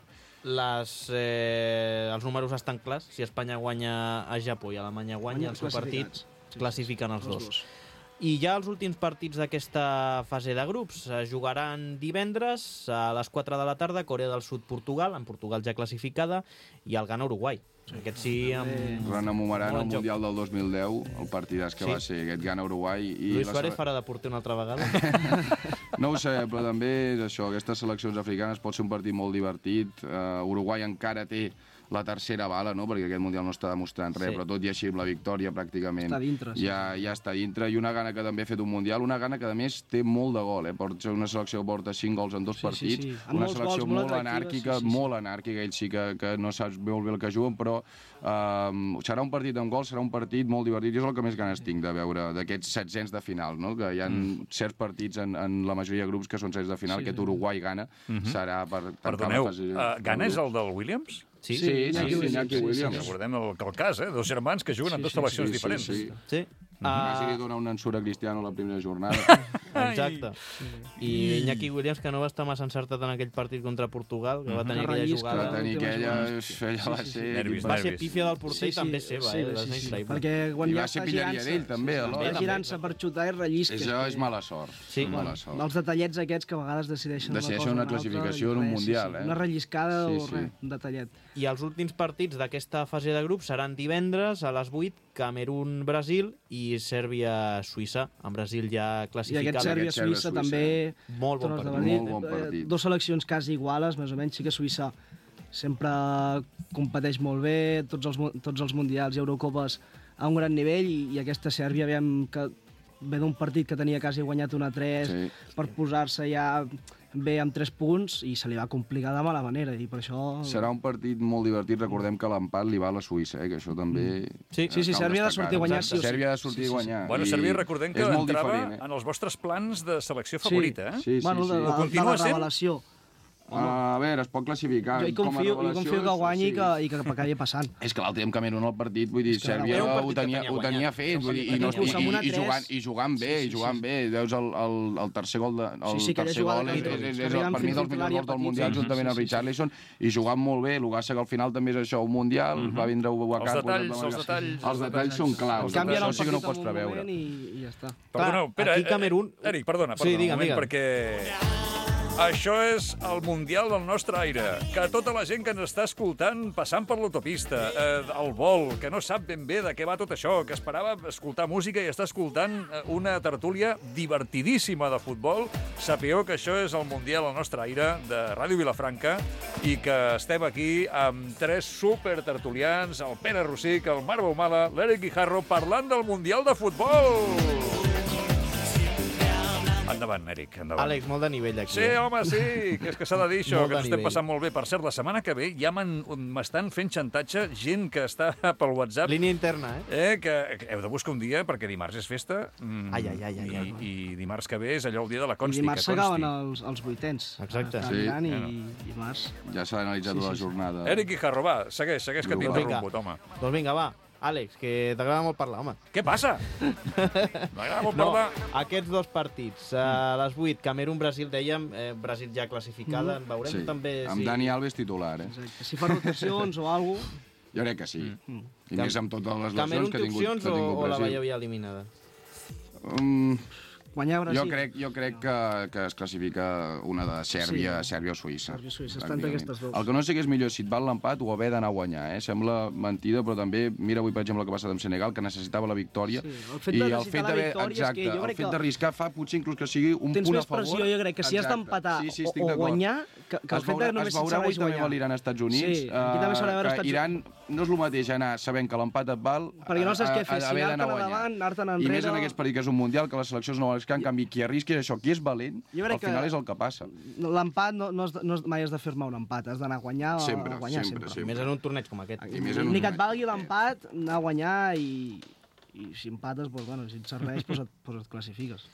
Speaker 2: Les, eh, els números estan clars. Si Espanya guanya a Japó i Alemanya guanya el seu partit, sí, classifiquen els dos. dos. I ja els últims partits d'aquesta fase de grups es jugaran divendres a les quatre de la tarda, Corea del Sud, Portugal, en Portugal ja classificada, i el Ghana, Uruguai. Aquest sí, amb...
Speaker 4: Rememoraran el Mundial del dos mil deu, el partidàs que sí. va ser aquest Ghana-Uruguai.
Speaker 2: Luis Suárez farà de porter una altra vegada?
Speaker 4: No ho sé, però també és això, aquestes seleccions africanes pot ser un partit molt divertit. Uh, Uruguai encara té la tercera bala, no? Perquè aquest Mundial no està demostrant res,
Speaker 2: Sí.
Speaker 4: però tot i així amb la victòria pràcticament
Speaker 3: Està dintre, sí.
Speaker 4: ja, ja està dintre, i una gana que també ha fet un Mundial, una gana que a més té molt de gol, eh? Porta una selecció que porta cinc gols en dos
Speaker 3: Sí, sí,
Speaker 4: partits,
Speaker 3: sí. Amb
Speaker 4: una
Speaker 3: molts
Speaker 4: selecció
Speaker 3: gols, molt
Speaker 4: molt
Speaker 3: atractiva,
Speaker 4: anàrquica,
Speaker 3: sí, sí, sí.
Speaker 4: molt anàrquica, ells sí que, que no saps molt bé el que juguen, però um, serà un partit amb gols, serà un partit molt divertit, i és el que més ganes tinc de veure d'aquests setzents de final, no? Que hi ha mm. certs partits en, en la majoria de grups que són setzents de final,
Speaker 3: Sí,
Speaker 4: aquest
Speaker 3: sí.
Speaker 4: Uruguai-Ghana
Speaker 1: Mhm.
Speaker 4: serà per tancar
Speaker 1: Perdoneu,
Speaker 4: la fase...
Speaker 1: uh, Ghana és el del Williams?
Speaker 2: Sí,
Speaker 4: Sí, sí,
Speaker 3: Iñaki
Speaker 4: sí,
Speaker 3: Williams,
Speaker 4: Iñaki
Speaker 3: sí, sí,
Speaker 4: Williams.
Speaker 1: Recordem el, el cas, eh? Dos germans que juguen en
Speaker 3: Sí,
Speaker 1: dues
Speaker 3: sí,
Speaker 1: seleccions
Speaker 4: sí, sí,
Speaker 1: diferents.
Speaker 4: sí.
Speaker 2: Sí.
Speaker 4: Quasi li
Speaker 2: Ah,
Speaker 4: dona un ensurt a Cristiano la primera jornada.
Speaker 2: exacte. I Iñaki Williams, que no va estar massa encertat en aquell partit contra Portugal, que va tenir
Speaker 3: Que
Speaker 2: aquella
Speaker 3: rellisca.
Speaker 4: Va
Speaker 2: jugada...
Speaker 4: tenir aquella...
Speaker 3: Sí,
Speaker 4: Ella va
Speaker 3: sí, sí.
Speaker 4: ser...
Speaker 1: Nervis,
Speaker 2: Va ser
Speaker 1: nervis.
Speaker 2: pífia del porter i també seva,
Speaker 3: sí,
Speaker 2: eh?
Speaker 3: sí,
Speaker 2: Les
Speaker 3: sí,
Speaker 2: Next
Speaker 3: sí,
Speaker 2: Live.
Speaker 3: perquè quan
Speaker 4: I
Speaker 3: ja
Speaker 4: va ser
Speaker 3: està
Speaker 4: pilleria
Speaker 3: girant-se...
Speaker 4: d'ell, també,
Speaker 3: sí,
Speaker 4: alhora.
Speaker 3: Va girant-se per xutar i rellisca.
Speaker 4: Això és mala sort.
Speaker 2: Sí.
Speaker 4: Mala sort.
Speaker 3: Els detallets aquests que a vegades decideixen,
Speaker 4: Decideixen
Speaker 3: una,
Speaker 4: una
Speaker 3: cosa o
Speaker 4: classificació
Speaker 3: altra,
Speaker 4: en un
Speaker 3: i res,
Speaker 4: mundial,
Speaker 3: sí, sí.
Speaker 4: eh?
Speaker 3: Una relliscada
Speaker 4: Sí,
Speaker 3: o
Speaker 4: sí.
Speaker 3: res, un detallet.
Speaker 2: I els últims partits d'aquesta fase de grup seran divendres a les vuit, Camerún-Brasil i Sèrbia-Suïssa. En Brasil ja
Speaker 3: I
Speaker 2: classificat.
Speaker 3: aquest Sèrbia-Suïssa
Speaker 4: Sèrbia-Suïssa,
Speaker 3: també...
Speaker 2: Molt bon
Speaker 3: tornes a
Speaker 2: partit.
Speaker 3: venir.
Speaker 4: Molt bon
Speaker 3: Eh,
Speaker 4: partit.
Speaker 3: Dos seleccions quasi iguales, més o menys. Sí que Suïssa sempre competeix molt bé, tots els, mu- tots els mundials i Eurocopes a un gran nivell, i, i aquesta Sèrbia veiem que ve d'un partit que tenia quasi guanyat un a tres
Speaker 4: Sí.
Speaker 3: per posar-se ja bé amb tres punts, i se li va complicar de mala manera, i per això...
Speaker 4: Serà un partit molt divertit. Recordem que l'empat li va a la Suïssa, eh? Que això també...
Speaker 2: Sí.
Speaker 3: Sí, sí,
Speaker 4: cal
Speaker 3: Sèrbia ha de
Speaker 4: destacar.
Speaker 3: sortir a guanyar sí o sí.
Speaker 4: Sèrbia ha de sortir
Speaker 3: Sí, sí,
Speaker 4: a
Speaker 3: sí.
Speaker 4: guanyar.
Speaker 1: Bueno,
Speaker 4: i
Speaker 1: Sèrbia, recordem que
Speaker 4: és molt
Speaker 1: entrava
Speaker 4: diferent, eh?
Speaker 1: en els vostres plans de selecció favorita, eh?
Speaker 4: Sí, sí,
Speaker 3: bueno,
Speaker 4: sí.
Speaker 3: de,
Speaker 1: Ho
Speaker 3: la, de
Speaker 1: continua
Speaker 3: la
Speaker 1: sent?
Speaker 3: revelació.
Speaker 4: A veure, es pot classificar.
Speaker 3: Jo hi
Speaker 4: com a
Speaker 3: confio, jo
Speaker 4: revelació,
Speaker 3: confio que guanyi
Speaker 4: sí.
Speaker 3: i que, i que acabi passant.
Speaker 4: És que l'altre dia amb Camerún al partit, vull dir,
Speaker 3: És que
Speaker 4: Sèrbia
Speaker 2: era un partit
Speaker 4: ho
Speaker 2: que
Speaker 4: tenia,
Speaker 2: tenia
Speaker 4: ho tenia
Speaker 2: guanyat.
Speaker 4: fet, vull dir, i, no, i,
Speaker 3: Inclús amb
Speaker 4: i,
Speaker 3: una
Speaker 4: i,
Speaker 3: tres.
Speaker 4: jugant, i jugant bé,
Speaker 3: Sí,
Speaker 4: i
Speaker 3: sí,
Speaker 4: jugant
Speaker 3: sí.
Speaker 4: bé. Veus el, el, el tercer gol, de, el
Speaker 3: Sí, sí, aquella
Speaker 4: tercer
Speaker 3: jugada
Speaker 4: gol
Speaker 3: que
Speaker 4: és, és,
Speaker 3: Mitrovic,
Speaker 4: és,
Speaker 3: que
Speaker 4: és
Speaker 3: arriba
Speaker 4: per mi
Speaker 3: fins
Speaker 4: dels
Speaker 3: dintre
Speaker 4: millors
Speaker 3: l'àrea
Speaker 4: gols del
Speaker 3: petita.
Speaker 4: Mundial,
Speaker 3: Sí,
Speaker 4: juntament
Speaker 3: sí,
Speaker 4: amb
Speaker 3: sí,
Speaker 4: Richarlison, i jugant molt bé. El que passa que al final també és això, un Mundial, va vindre Ubacar...
Speaker 1: Els detalls, els detalls.
Speaker 4: Els detalls són claus.
Speaker 3: Canvien
Speaker 4: Això
Speaker 3: el
Speaker 4: sí que no ho
Speaker 3: partit
Speaker 4: pots
Speaker 3: en un
Speaker 4: preveure.
Speaker 3: moment i, i ja està.
Speaker 1: Perdoneu,
Speaker 2: Clar,
Speaker 1: espera,
Speaker 2: aquí
Speaker 1: eh,
Speaker 2: Camerún-
Speaker 1: Eric, perdona,
Speaker 2: Sí,
Speaker 1: perdona
Speaker 2: digue'm,
Speaker 1: un moment,
Speaker 2: digue'm.
Speaker 1: perquè... Això és el Mundial del nostre aire. Que tota la gent que ens està escoltant passant per l'autopista, eh, al vol, que no sap ben bé de què va tot això, que esperava escoltar música i està escoltant eh, una tertúlia divertidíssima de futbol, sapigueu que això és el Mundial del nostre aire de Ràdio Vilafranca i que estem aquí amb tres supertertulians, el Pere Rossic, el Marc Baumala, l'Eric Guijarro, parlant del Mundial de Futbol. Endavant, Eric, endavant.
Speaker 2: Àlex, molt de nivell aquí.
Speaker 1: Sí,
Speaker 2: eh?
Speaker 1: home, sí, que és que s'ha de dir això,
Speaker 2: Molt
Speaker 1: que
Speaker 2: de
Speaker 1: ens estem
Speaker 2: nivell.
Speaker 1: passant molt bé. Per cert, la setmana que ve ja m'han- m'estan fent xantatge gent que està pel WhatsApp,
Speaker 2: Línia interna, eh?
Speaker 1: eh, que, que heu de buscar un dia, perquè dimarts és festa, mm,
Speaker 2: Ai, ai, ai, ai,
Speaker 1: i,
Speaker 2: ai.
Speaker 1: i dimarts que ve és allò el dia de la
Speaker 3: I
Speaker 1: consti,
Speaker 3: dimarts
Speaker 1: que
Speaker 3: s'acaben
Speaker 1: consti.
Speaker 3: els, els vuitens.
Speaker 2: Exacte.
Speaker 3: A
Speaker 4: Sí.
Speaker 3: Milan i,
Speaker 1: Bueno.
Speaker 3: i dimarts.
Speaker 4: Ja s'ha analitzat
Speaker 3: Sí,
Speaker 4: la
Speaker 3: sí, sí.
Speaker 4: jornada.
Speaker 1: Eric Guijarro, va, segueix, segueix, que
Speaker 4: Vinga.
Speaker 1: t'interromput, home.
Speaker 2: Doncs vinga, va. Àlex, que t'agrada molt parlar, home.
Speaker 1: Què passa? M'agrada molt
Speaker 2: No,
Speaker 1: parlar.
Speaker 2: aquests dos partits, a les vuit, Camerún-Brasil, dèiem, eh, Brasil ja classificada, en veurem
Speaker 4: Sí,
Speaker 2: també...
Speaker 4: amb
Speaker 2: si...
Speaker 4: Dani Alves titular, eh?
Speaker 3: Exacte. Si fa rotacions o alguna cosa...
Speaker 4: Jo crec que sí.
Speaker 3: Mm.
Speaker 4: I més amb totes les
Speaker 2: Camerún
Speaker 4: lesions que
Speaker 2: té
Speaker 4: ha tingut,
Speaker 2: opcions
Speaker 4: que ha
Speaker 2: o,
Speaker 4: tingut
Speaker 2: o la
Speaker 4: Brasil.
Speaker 2: veieu ja eliminada?
Speaker 4: Um,
Speaker 3: Guanyar Brasil.
Speaker 4: jo crec, jo crec que, que es classifica una de Sèrbia,
Speaker 3: Sí.
Speaker 4: Sèrbia o Suïssa.
Speaker 3: Sèrbia o Suïssa, estan
Speaker 4: pràcticament.
Speaker 3: aquestes dues.
Speaker 4: El que no sé que és millor si et val l'empat o haver d'anar a guanyar, eh? Sembla mentida, però també, mira avui, per exemple, el que ha passat amb Senegal, que necessitava la victòria.
Speaker 3: Sí, el fet
Speaker 4: i
Speaker 3: de
Speaker 4: el
Speaker 3: necessitar
Speaker 4: fet
Speaker 3: la
Speaker 4: d'haver-
Speaker 3: victòria és
Speaker 4: exacte,
Speaker 3: que jo
Speaker 4: el
Speaker 3: crec
Speaker 4: fet
Speaker 3: que
Speaker 4: d'arriscar fa potser inclús que sigui un
Speaker 3: Tens
Speaker 4: punt a
Speaker 3: més
Speaker 4: favor.
Speaker 3: pressió, jo crec, que si has
Speaker 4: Exacte.
Speaker 3: d'empatar
Speaker 4: sí, sí,
Speaker 3: o,
Speaker 4: estic
Speaker 3: o
Speaker 4: d'acord.
Speaker 3: guanyar, que, que el
Speaker 4: Es
Speaker 3: fet
Speaker 4: veurà,
Speaker 3: de només
Speaker 4: es veurà
Speaker 3: et
Speaker 4: avui
Speaker 3: serveix
Speaker 4: també amb
Speaker 3: guanyar.
Speaker 4: l'Iran als Estats Units.
Speaker 3: Sí, aquí també s'haurà de veure
Speaker 4: eh,
Speaker 3: Estats
Speaker 4: que Iran no és el mateix anar sabent que l'empat et val
Speaker 3: Perquè no saps què fer,
Speaker 4: a- a-
Speaker 3: si
Speaker 4: haver
Speaker 3: anar-te'n
Speaker 4: d'anar a guanyar.
Speaker 3: endavant, anar-te'n
Speaker 4: I més
Speaker 3: enrere.
Speaker 4: en aquest partit que és un mundial, que les seleccions no volen que en canvi qui arrisqui és això, qui és valent,
Speaker 3: Jo crec
Speaker 4: al final
Speaker 3: que-
Speaker 4: és el que passa.
Speaker 3: L'empat no, no, has de- no, has- mai has de firmar un empat, has d'anar a guanyar,
Speaker 4: Sempre,
Speaker 3: a guanyar
Speaker 4: sempre,
Speaker 3: sempre.
Speaker 2: I més en un torneig com aquest.
Speaker 4: I més en un
Speaker 3: Ni que et
Speaker 4: torneig.
Speaker 3: valgui l'empat, anar a guanyar i, i si empates, doncs, bueno, si et serveix, doncs et, doncs et classifiques.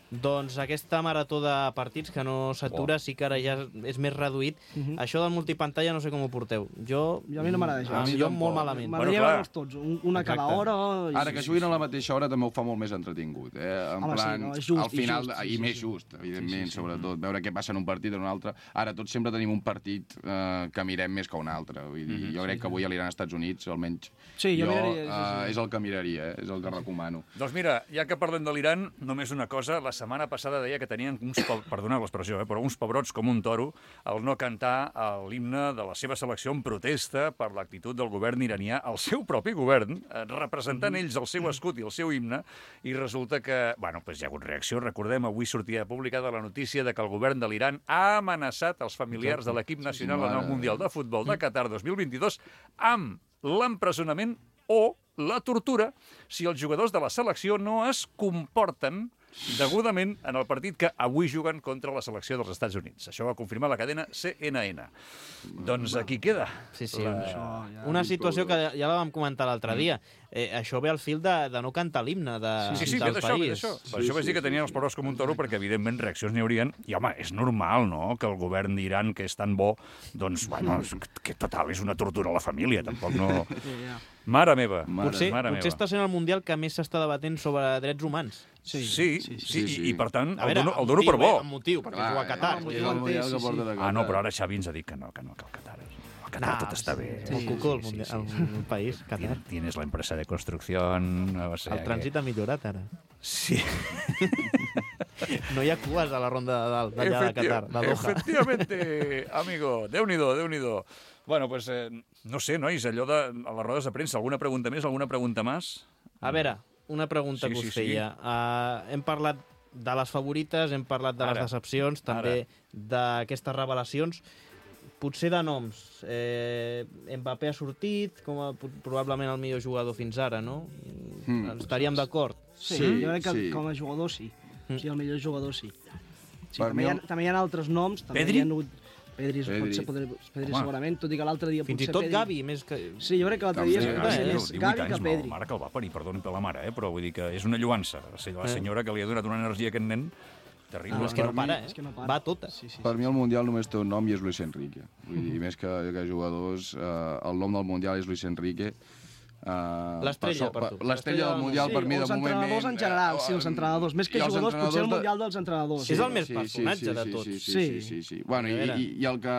Speaker 2: Doncs aquesta marató de partits que no s'atura, sí que ara ja és més reduït.
Speaker 3: Mhm.
Speaker 2: Això del multipantalla no sé com ho porteu. Jo,
Speaker 3: Jo a mi no m'agrada
Speaker 2: a
Speaker 3: gens.
Speaker 2: mi
Speaker 4: A mi
Speaker 2: jo
Speaker 4: tampoc.
Speaker 2: molt malament.
Speaker 1: Bueno,
Speaker 3: M'agradaria
Speaker 1: clar.
Speaker 3: veure'ls tots, un, una a cada
Speaker 2: Exacte.
Speaker 3: hora. i-
Speaker 4: Ara, que juguin a la mateixa hora també ho fa molt més entretingut. Eh? En
Speaker 3: Home, sí,
Speaker 4: plan,
Speaker 3: no, és just,
Speaker 4: al final,
Speaker 3: i just, sí,
Speaker 4: i
Speaker 3: sí,
Speaker 4: més
Speaker 3: sí.
Speaker 4: just, evidentment,
Speaker 3: Sí, sí, sí.
Speaker 4: sobretot, veure què passa en un partit o en un altre. Ara, tots sempre tenim un partit eh, que mirem més que un altre. Vull dir, jo crec que avui a l'Iran als Estats Units, almenys,
Speaker 3: Sí, jo
Speaker 4: jo
Speaker 3: miraria, sí,
Speaker 4: eh,
Speaker 3: sí.
Speaker 4: és el que miraria, eh? És el que recomano.
Speaker 1: Doncs mira, ja que parlem de l'Iran, només una cosa, la setmana passada deia que tenien uns, perdoneu l'expressió, eh, però uns pebrots com un toro al no cantar l'himne de la seva selecció en protesta per l'actitud del govern iranià, el seu propi govern, representant ells el seu escut i el seu himne, i resulta que, bueno, doncs hi ha hagut reacció. Recordem, avui sortia publicada la notícia de que el govern de l'Iran ha amenaçat els familiars de l'equip nacional en el Mundial de Futbol de Qatar dos mil vint-i-dos amb l'empresonament o la tortura si els jugadors de la selecció no es comporten degudament en el partit que avui juguen contra la selecció dels Estats Units. Això va confirmar la cadena C N N. Doncs aquí queda.
Speaker 2: Sí, sí.
Speaker 1: La...
Speaker 2: Una situació que ja la vam comentar l'altre dia. Eh, això ve al fil de, de no cantar l'himne de,
Speaker 1: sí, sí, sí,
Speaker 2: del
Speaker 1: ve d'això,
Speaker 2: país.
Speaker 1: ve d'això.
Speaker 2: Sí,
Speaker 1: Per això
Speaker 2: sí,
Speaker 1: vaig dir que tenien els perros com un toro, perquè evidentment reaccions n'hi haurien. I home, és normal, no?, que el govern d'Iran, que és tan bo, doncs, bueno, que total, és una tortura a la família, tampoc no... Mare meva, mare,
Speaker 2: potser,
Speaker 1: mare
Speaker 2: potser
Speaker 1: meva.
Speaker 2: està sent el Mundial que més s'està debatent sobre drets humans.
Speaker 1: Sí, sí, sí, sí, sí, sí. I, i per tant,
Speaker 2: a veure,
Speaker 1: el dono, el dono per bo.
Speaker 2: Amb motiu, perquè juga a Qatar.
Speaker 3: Ah,
Speaker 4: És el Mundial que porta de Qatar.
Speaker 1: Ah, no, però ara Xavi ens ha dit que no, que no, que el Qatar és... El Qatar
Speaker 2: No,
Speaker 1: tot està bé.
Speaker 2: Sí, sí, Cuco, el, mundial, sí, sí. el país, Qatar.
Speaker 1: Tienes la empresa de construcción... O sea,
Speaker 2: el trànsit
Speaker 1: que...
Speaker 2: ha millorat, ara.
Speaker 1: Sí.
Speaker 2: No hi ha cues a la ronda de dalt, d'allà de Qatar, de Doha.
Speaker 1: Efectivamente, amigo. Déu-n'hi-do, Déu-n'hi-do. Bueno, pues, eh, no sé, nois, allò de a les rodes de premsa, alguna pregunta més, alguna pregunta més?
Speaker 2: A veure, una pregunta
Speaker 1: Sí,
Speaker 2: que us
Speaker 1: sí, sí.
Speaker 2: feia. Uh, hem parlat de les favorites, hem parlat de
Speaker 1: Ara,
Speaker 2: les decepcions, també d'aquestes revelacions. Potser de noms. Eh, Mbappé ha sortit com a probablement el millor jugador fins ara, no?
Speaker 4: Mm.
Speaker 2: Estaríem d'acord?
Speaker 3: Sí,
Speaker 4: Sí,
Speaker 3: jo crec que
Speaker 4: sí.
Speaker 3: com a jugador sí. O sigui, el millor jugador sí. sí
Speaker 4: Per
Speaker 3: també,
Speaker 4: mi
Speaker 3: hi ha,
Speaker 4: el-
Speaker 3: també hi ha altres noms. També
Speaker 1: Pedri?
Speaker 3: Hi ha hagut... Pedri,
Speaker 4: Pedri.
Speaker 3: pot ser Pedri, Pedri
Speaker 1: Home.
Speaker 3: segurament, tot i que l'altre dia
Speaker 2: Fins i
Speaker 3: potser
Speaker 2: tot
Speaker 3: Pedri...
Speaker 2: Gavi, més que...
Speaker 3: Sí, jo crec que l'altre dia
Speaker 4: També,
Speaker 3: és
Speaker 4: eh?
Speaker 3: potser
Speaker 2: Eh,
Speaker 3: més
Speaker 1: divuit
Speaker 3: Gavi
Speaker 1: anys,
Speaker 3: que Pedri.
Speaker 1: mare que el va parir, perdoni per la mare, eh? Però vull dir que és una lluança. O sigui, la
Speaker 2: Eh.
Speaker 1: senyora que li ha donat una energia a aquest nen, terrible.
Speaker 2: No, és que no
Speaker 4: per mi-
Speaker 2: para, eh?
Speaker 3: és que no para.
Speaker 2: Va a totes.
Speaker 3: Sí, sí,
Speaker 4: Per mi el Mundial només té un nom i és Luis Enrique. Vull dir, més que, que jugadors, eh, el nom del Mundial és Luis Enrique. Uh,
Speaker 2: L'estrella per tu.
Speaker 4: L'estrella del Mundial
Speaker 3: sí,
Speaker 4: per mi
Speaker 3: o
Speaker 4: de
Speaker 3: els
Speaker 4: moment...
Speaker 3: entrenadors en general, sí, els entrenadors. Més que
Speaker 4: i els
Speaker 3: jugadors, potser el
Speaker 4: entrenadors de-
Speaker 3: Mundial dels entrenadors.
Speaker 2: És el més personatge de tots.
Speaker 4: Sí, sí,
Speaker 3: Sí.
Speaker 4: sí, sí, sí. Bueno,
Speaker 2: A
Speaker 4: i,
Speaker 2: veure.
Speaker 4: i, i el, que,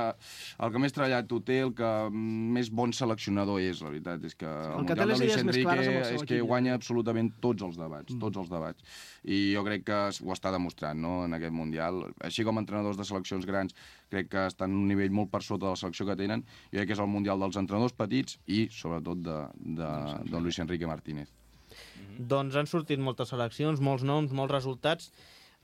Speaker 4: el que més treballat ho té, el que més bon seleccionador és, la veritat, és que el,
Speaker 3: que té
Speaker 4: Mundial
Speaker 3: les
Speaker 4: de Luis
Speaker 3: idees més
Speaker 4: Enrique
Speaker 3: clares amb el seu
Speaker 4: és que
Speaker 3: equip,
Speaker 4: guanya
Speaker 3: ja.
Speaker 4: absolutament tots els debats,
Speaker 3: Mm.
Speaker 4: tots els debats. I jo crec que ho està demostrant, no?, en aquest Mundial. Així com entrenadors de seleccions grans, crec que estan en un nivell molt per sota de la selecció que tenen. Jo crec que és el Mundial dels entrenadors petits i, sobretot, de, de, de Luis Enrique Martínez.
Speaker 2: Doncs han sortit moltes seleccions, molts noms, molts resultats.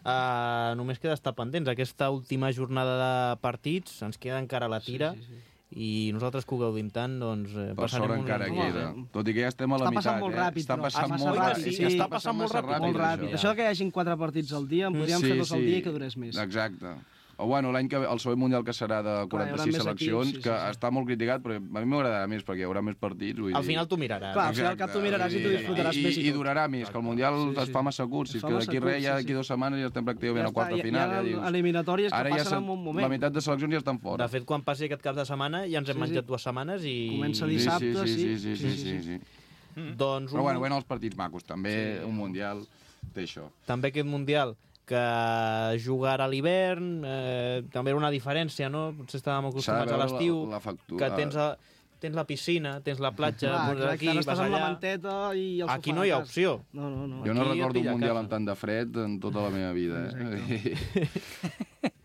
Speaker 2: Uh, només queda estar pendents. Aquesta última jornada de partits ens queda encara la tira. Sí, sí, sí. I nosaltres que ho gaudim tant, doncs... Eh,
Speaker 4: Per sort
Speaker 2: passarem un-
Speaker 4: encara
Speaker 3: Home,
Speaker 4: queda. Tot i que ja estem a la
Speaker 3: Està
Speaker 4: meitat,
Speaker 3: passant molt
Speaker 4: eh?
Speaker 3: ràpid,
Speaker 4: Està
Speaker 3: però
Speaker 4: passant
Speaker 3: passa
Speaker 4: molt
Speaker 3: ràpid,
Speaker 4: ràpid.
Speaker 3: sí,
Speaker 2: està passant molt ràpid.
Speaker 3: Molt ràpid.
Speaker 2: Ja.
Speaker 3: Això que hi hagin quatre partits al dia, en podríem fer dos al dia i que durés més.
Speaker 4: Exacte. O bueno, l'any que ve, el següent Mundial que serà de
Speaker 3: hi haurà
Speaker 4: quaranta-sis
Speaker 3: més
Speaker 4: seleccions,
Speaker 3: equips, sí,
Speaker 4: que
Speaker 3: sí, sí.
Speaker 4: està molt criticat, però a mi m'agradarà més, perquè hi haurà més partits. Vull
Speaker 2: Al
Speaker 4: dir...
Speaker 2: final tu miraràs.
Speaker 3: Clar, al final al cap tu miraràs i tu disfrutaràs
Speaker 4: I,
Speaker 3: més i
Speaker 4: i, i
Speaker 3: tot.
Speaker 4: durarà més, que el Mundial
Speaker 3: Sí, sí.
Speaker 4: es fa massa curt. Si
Speaker 3: Es
Speaker 4: és
Speaker 3: fa
Speaker 4: que
Speaker 3: massa
Speaker 4: d'aquí
Speaker 3: curt,
Speaker 4: res, ja
Speaker 3: sí,
Speaker 4: d'aquí
Speaker 3: sí.
Speaker 4: dues setmanes ja estem pràcticament
Speaker 3: Ja
Speaker 4: a quarta
Speaker 3: està, hi ha-
Speaker 4: final.
Speaker 3: hi ha
Speaker 4: Ja dius.
Speaker 3: eliminatòries que
Speaker 4: Ara ja
Speaker 3: passen
Speaker 4: s'ha-
Speaker 3: en un moment.
Speaker 4: La meitat de seleccions ja estan fora.
Speaker 2: De fet, quan passi aquest cap de setmana ja ens hem
Speaker 3: Sí, sí.
Speaker 2: menjat dues setmanes i...
Speaker 3: Comença
Speaker 4: Sí,
Speaker 3: dissabte,
Speaker 4: sí, sí,
Speaker 3: sí.
Speaker 4: sí, sí, sí, sí, sí.
Speaker 2: Doncs un...
Speaker 4: Però bueno, bueno, els partits macos, també un Mundial té això.
Speaker 2: També aquest Mundial que jugar a l'hivern, eh, també era una diferència, no? Potser estàvem acostumats a
Speaker 4: veure
Speaker 2: l'estiu,
Speaker 4: la- la factura.
Speaker 2: que tens, a, tens la piscina, tens la platja,
Speaker 3: Clar,
Speaker 2: doncs
Speaker 3: clar,
Speaker 2: aquí,
Speaker 3: ara
Speaker 2: vas
Speaker 3: estàs amb la
Speaker 2: allà...
Speaker 3: manteta i el
Speaker 2: Aquí
Speaker 3: sofà
Speaker 2: no hi ha
Speaker 3: a casa.
Speaker 2: opció.
Speaker 3: No, no, no.
Speaker 4: Jo no
Speaker 2: Aquí
Speaker 4: recordo
Speaker 2: pilla
Speaker 4: un Mundial
Speaker 2: casa.
Speaker 4: amb tant de fred en tota la meva vida. Eh?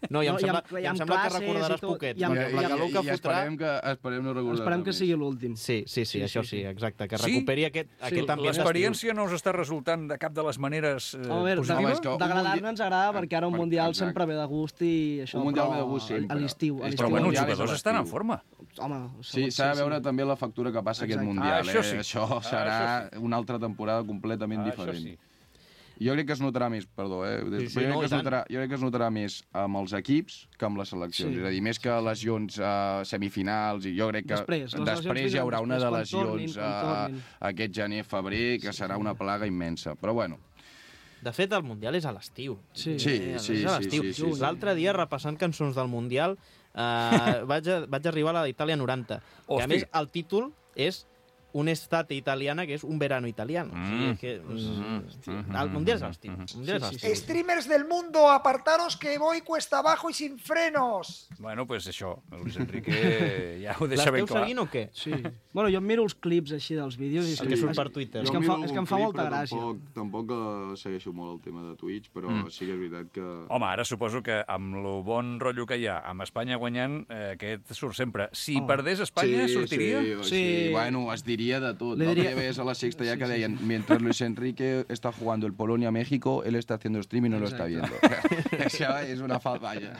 Speaker 2: No, i em
Speaker 3: No, i
Speaker 2: sembla,
Speaker 3: amb- i
Speaker 2: i em
Speaker 3: amb
Speaker 2: sembla que
Speaker 3: classes
Speaker 2: recordaràs
Speaker 3: i tot,
Speaker 2: poquet,
Speaker 3: i amb-
Speaker 2: perquè
Speaker 3: i
Speaker 2: la
Speaker 3: amb-
Speaker 2: calor que
Speaker 4: i
Speaker 2: fotrà...
Speaker 4: esperem que, esperem no recordar
Speaker 3: Esperem que sigui l'últim.
Speaker 2: Sí, sí, sí,
Speaker 3: Sí,
Speaker 2: això
Speaker 3: sí,
Speaker 2: sí,
Speaker 3: sí.
Speaker 2: exacte, que
Speaker 1: Sí?
Speaker 2: recuperi aquest, aquest ambient d'estiu.
Speaker 1: L'experiència no us està resultant de cap de les maneres eh,
Speaker 3: A veure,
Speaker 1: positiva?
Speaker 4: és que un
Speaker 3: d'agradar-ne
Speaker 4: mundial-
Speaker 3: ens agrada perquè ara un
Speaker 4: Per-
Speaker 3: Mundial
Speaker 4: exacte.
Speaker 3: sempre ve de gust i això,
Speaker 4: Un Mundial
Speaker 3: però
Speaker 4: ve de gust sempre.
Speaker 3: a l'estiu. a
Speaker 4: És
Speaker 3: l'estiu
Speaker 1: Però bueno, els
Speaker 4: Mundial és
Speaker 1: jugadors
Speaker 4: a
Speaker 1: estan en
Speaker 4: l'estiu.
Speaker 1: forma.
Speaker 3: Home,
Speaker 4: Sí, s'ha de veure també la factura que passa aquest
Speaker 3: Exacte.
Speaker 4: Mundial.
Speaker 1: Ah, això
Speaker 4: eh?
Speaker 1: sí.
Speaker 4: Això
Speaker 1: Ah,
Speaker 4: serà una altra temporada completament
Speaker 1: Ah,
Speaker 4: diferent.
Speaker 1: això sí.
Speaker 4: Jo crec que es notarà més, perdó, eh?
Speaker 2: Sí, sí,
Speaker 4: Però jo,
Speaker 2: no,
Speaker 4: crec que
Speaker 2: i
Speaker 4: es
Speaker 2: tant.
Speaker 4: notarà, jo crec que es notarà més amb els equips que amb les seleccions.
Speaker 3: Sí.
Speaker 4: És a dir, més que lesions uh, semifinals, i jo crec que
Speaker 3: Després, les lesions
Speaker 4: després hi haurà
Speaker 3: vindran
Speaker 4: una de
Speaker 3: després, quan tornin,
Speaker 4: lesions
Speaker 3: quan
Speaker 4: uh,
Speaker 3: tornin.
Speaker 4: aquest gener, febrer, que serà una plaga immensa. Però bueno,
Speaker 2: De fet, el Mundial és a l'estiu.
Speaker 3: Sí.
Speaker 4: Sí,
Speaker 2: Eh,
Speaker 4: sí,
Speaker 2: és a
Speaker 4: sí,
Speaker 2: l'estiu.
Speaker 4: sí, sí, sí.
Speaker 2: L'altre dia, repassant cançons del Mundial, eh, vaig, a, vaig arribar a la d'Itàlia noranta. Que, a
Speaker 1: Hosti.
Speaker 2: més, el títol és un estate italiana que és un verano italiano. Mm. O sigui, que, mm. El Mundial és l'estiu. Sí, sí, sí.
Speaker 5: Streamers del mundo, apartaros que voy cuesta abajo y sin frenos.
Speaker 1: Bueno, pues això, Luis Enrique ja ho deixa ben clar.
Speaker 2: L'esteu seguint o què?
Speaker 3: Sí. Bueno, jo em miro els clips així dels vídeos i...
Speaker 2: El que surt per Twitter.
Speaker 3: És que em fa, és que em fa molta gràcia.
Speaker 4: Tampoc, tampoc uh, segueixo molt el tema de Twitch, però mm. sí que és veritat que...
Speaker 1: Home, ara suposo que amb el bon rotllo que hi ha, amb Espanya guanyant, eh, aquest surt sempre. Si oh. perdés Espanya,
Speaker 4: sí,
Speaker 1: sortiria?
Speaker 4: Sí, sí. sí, bueno, es diria de tot.
Speaker 3: Le
Speaker 4: no
Speaker 3: diria...
Speaker 4: ves a la sexta ya sí, que deien, sí. Mientras Luis Enrique está jugando el Polonia-México, él está haciendo streaming y no
Speaker 3: Exacto.
Speaker 4: lo está viendo. Eso es una falta, vaya.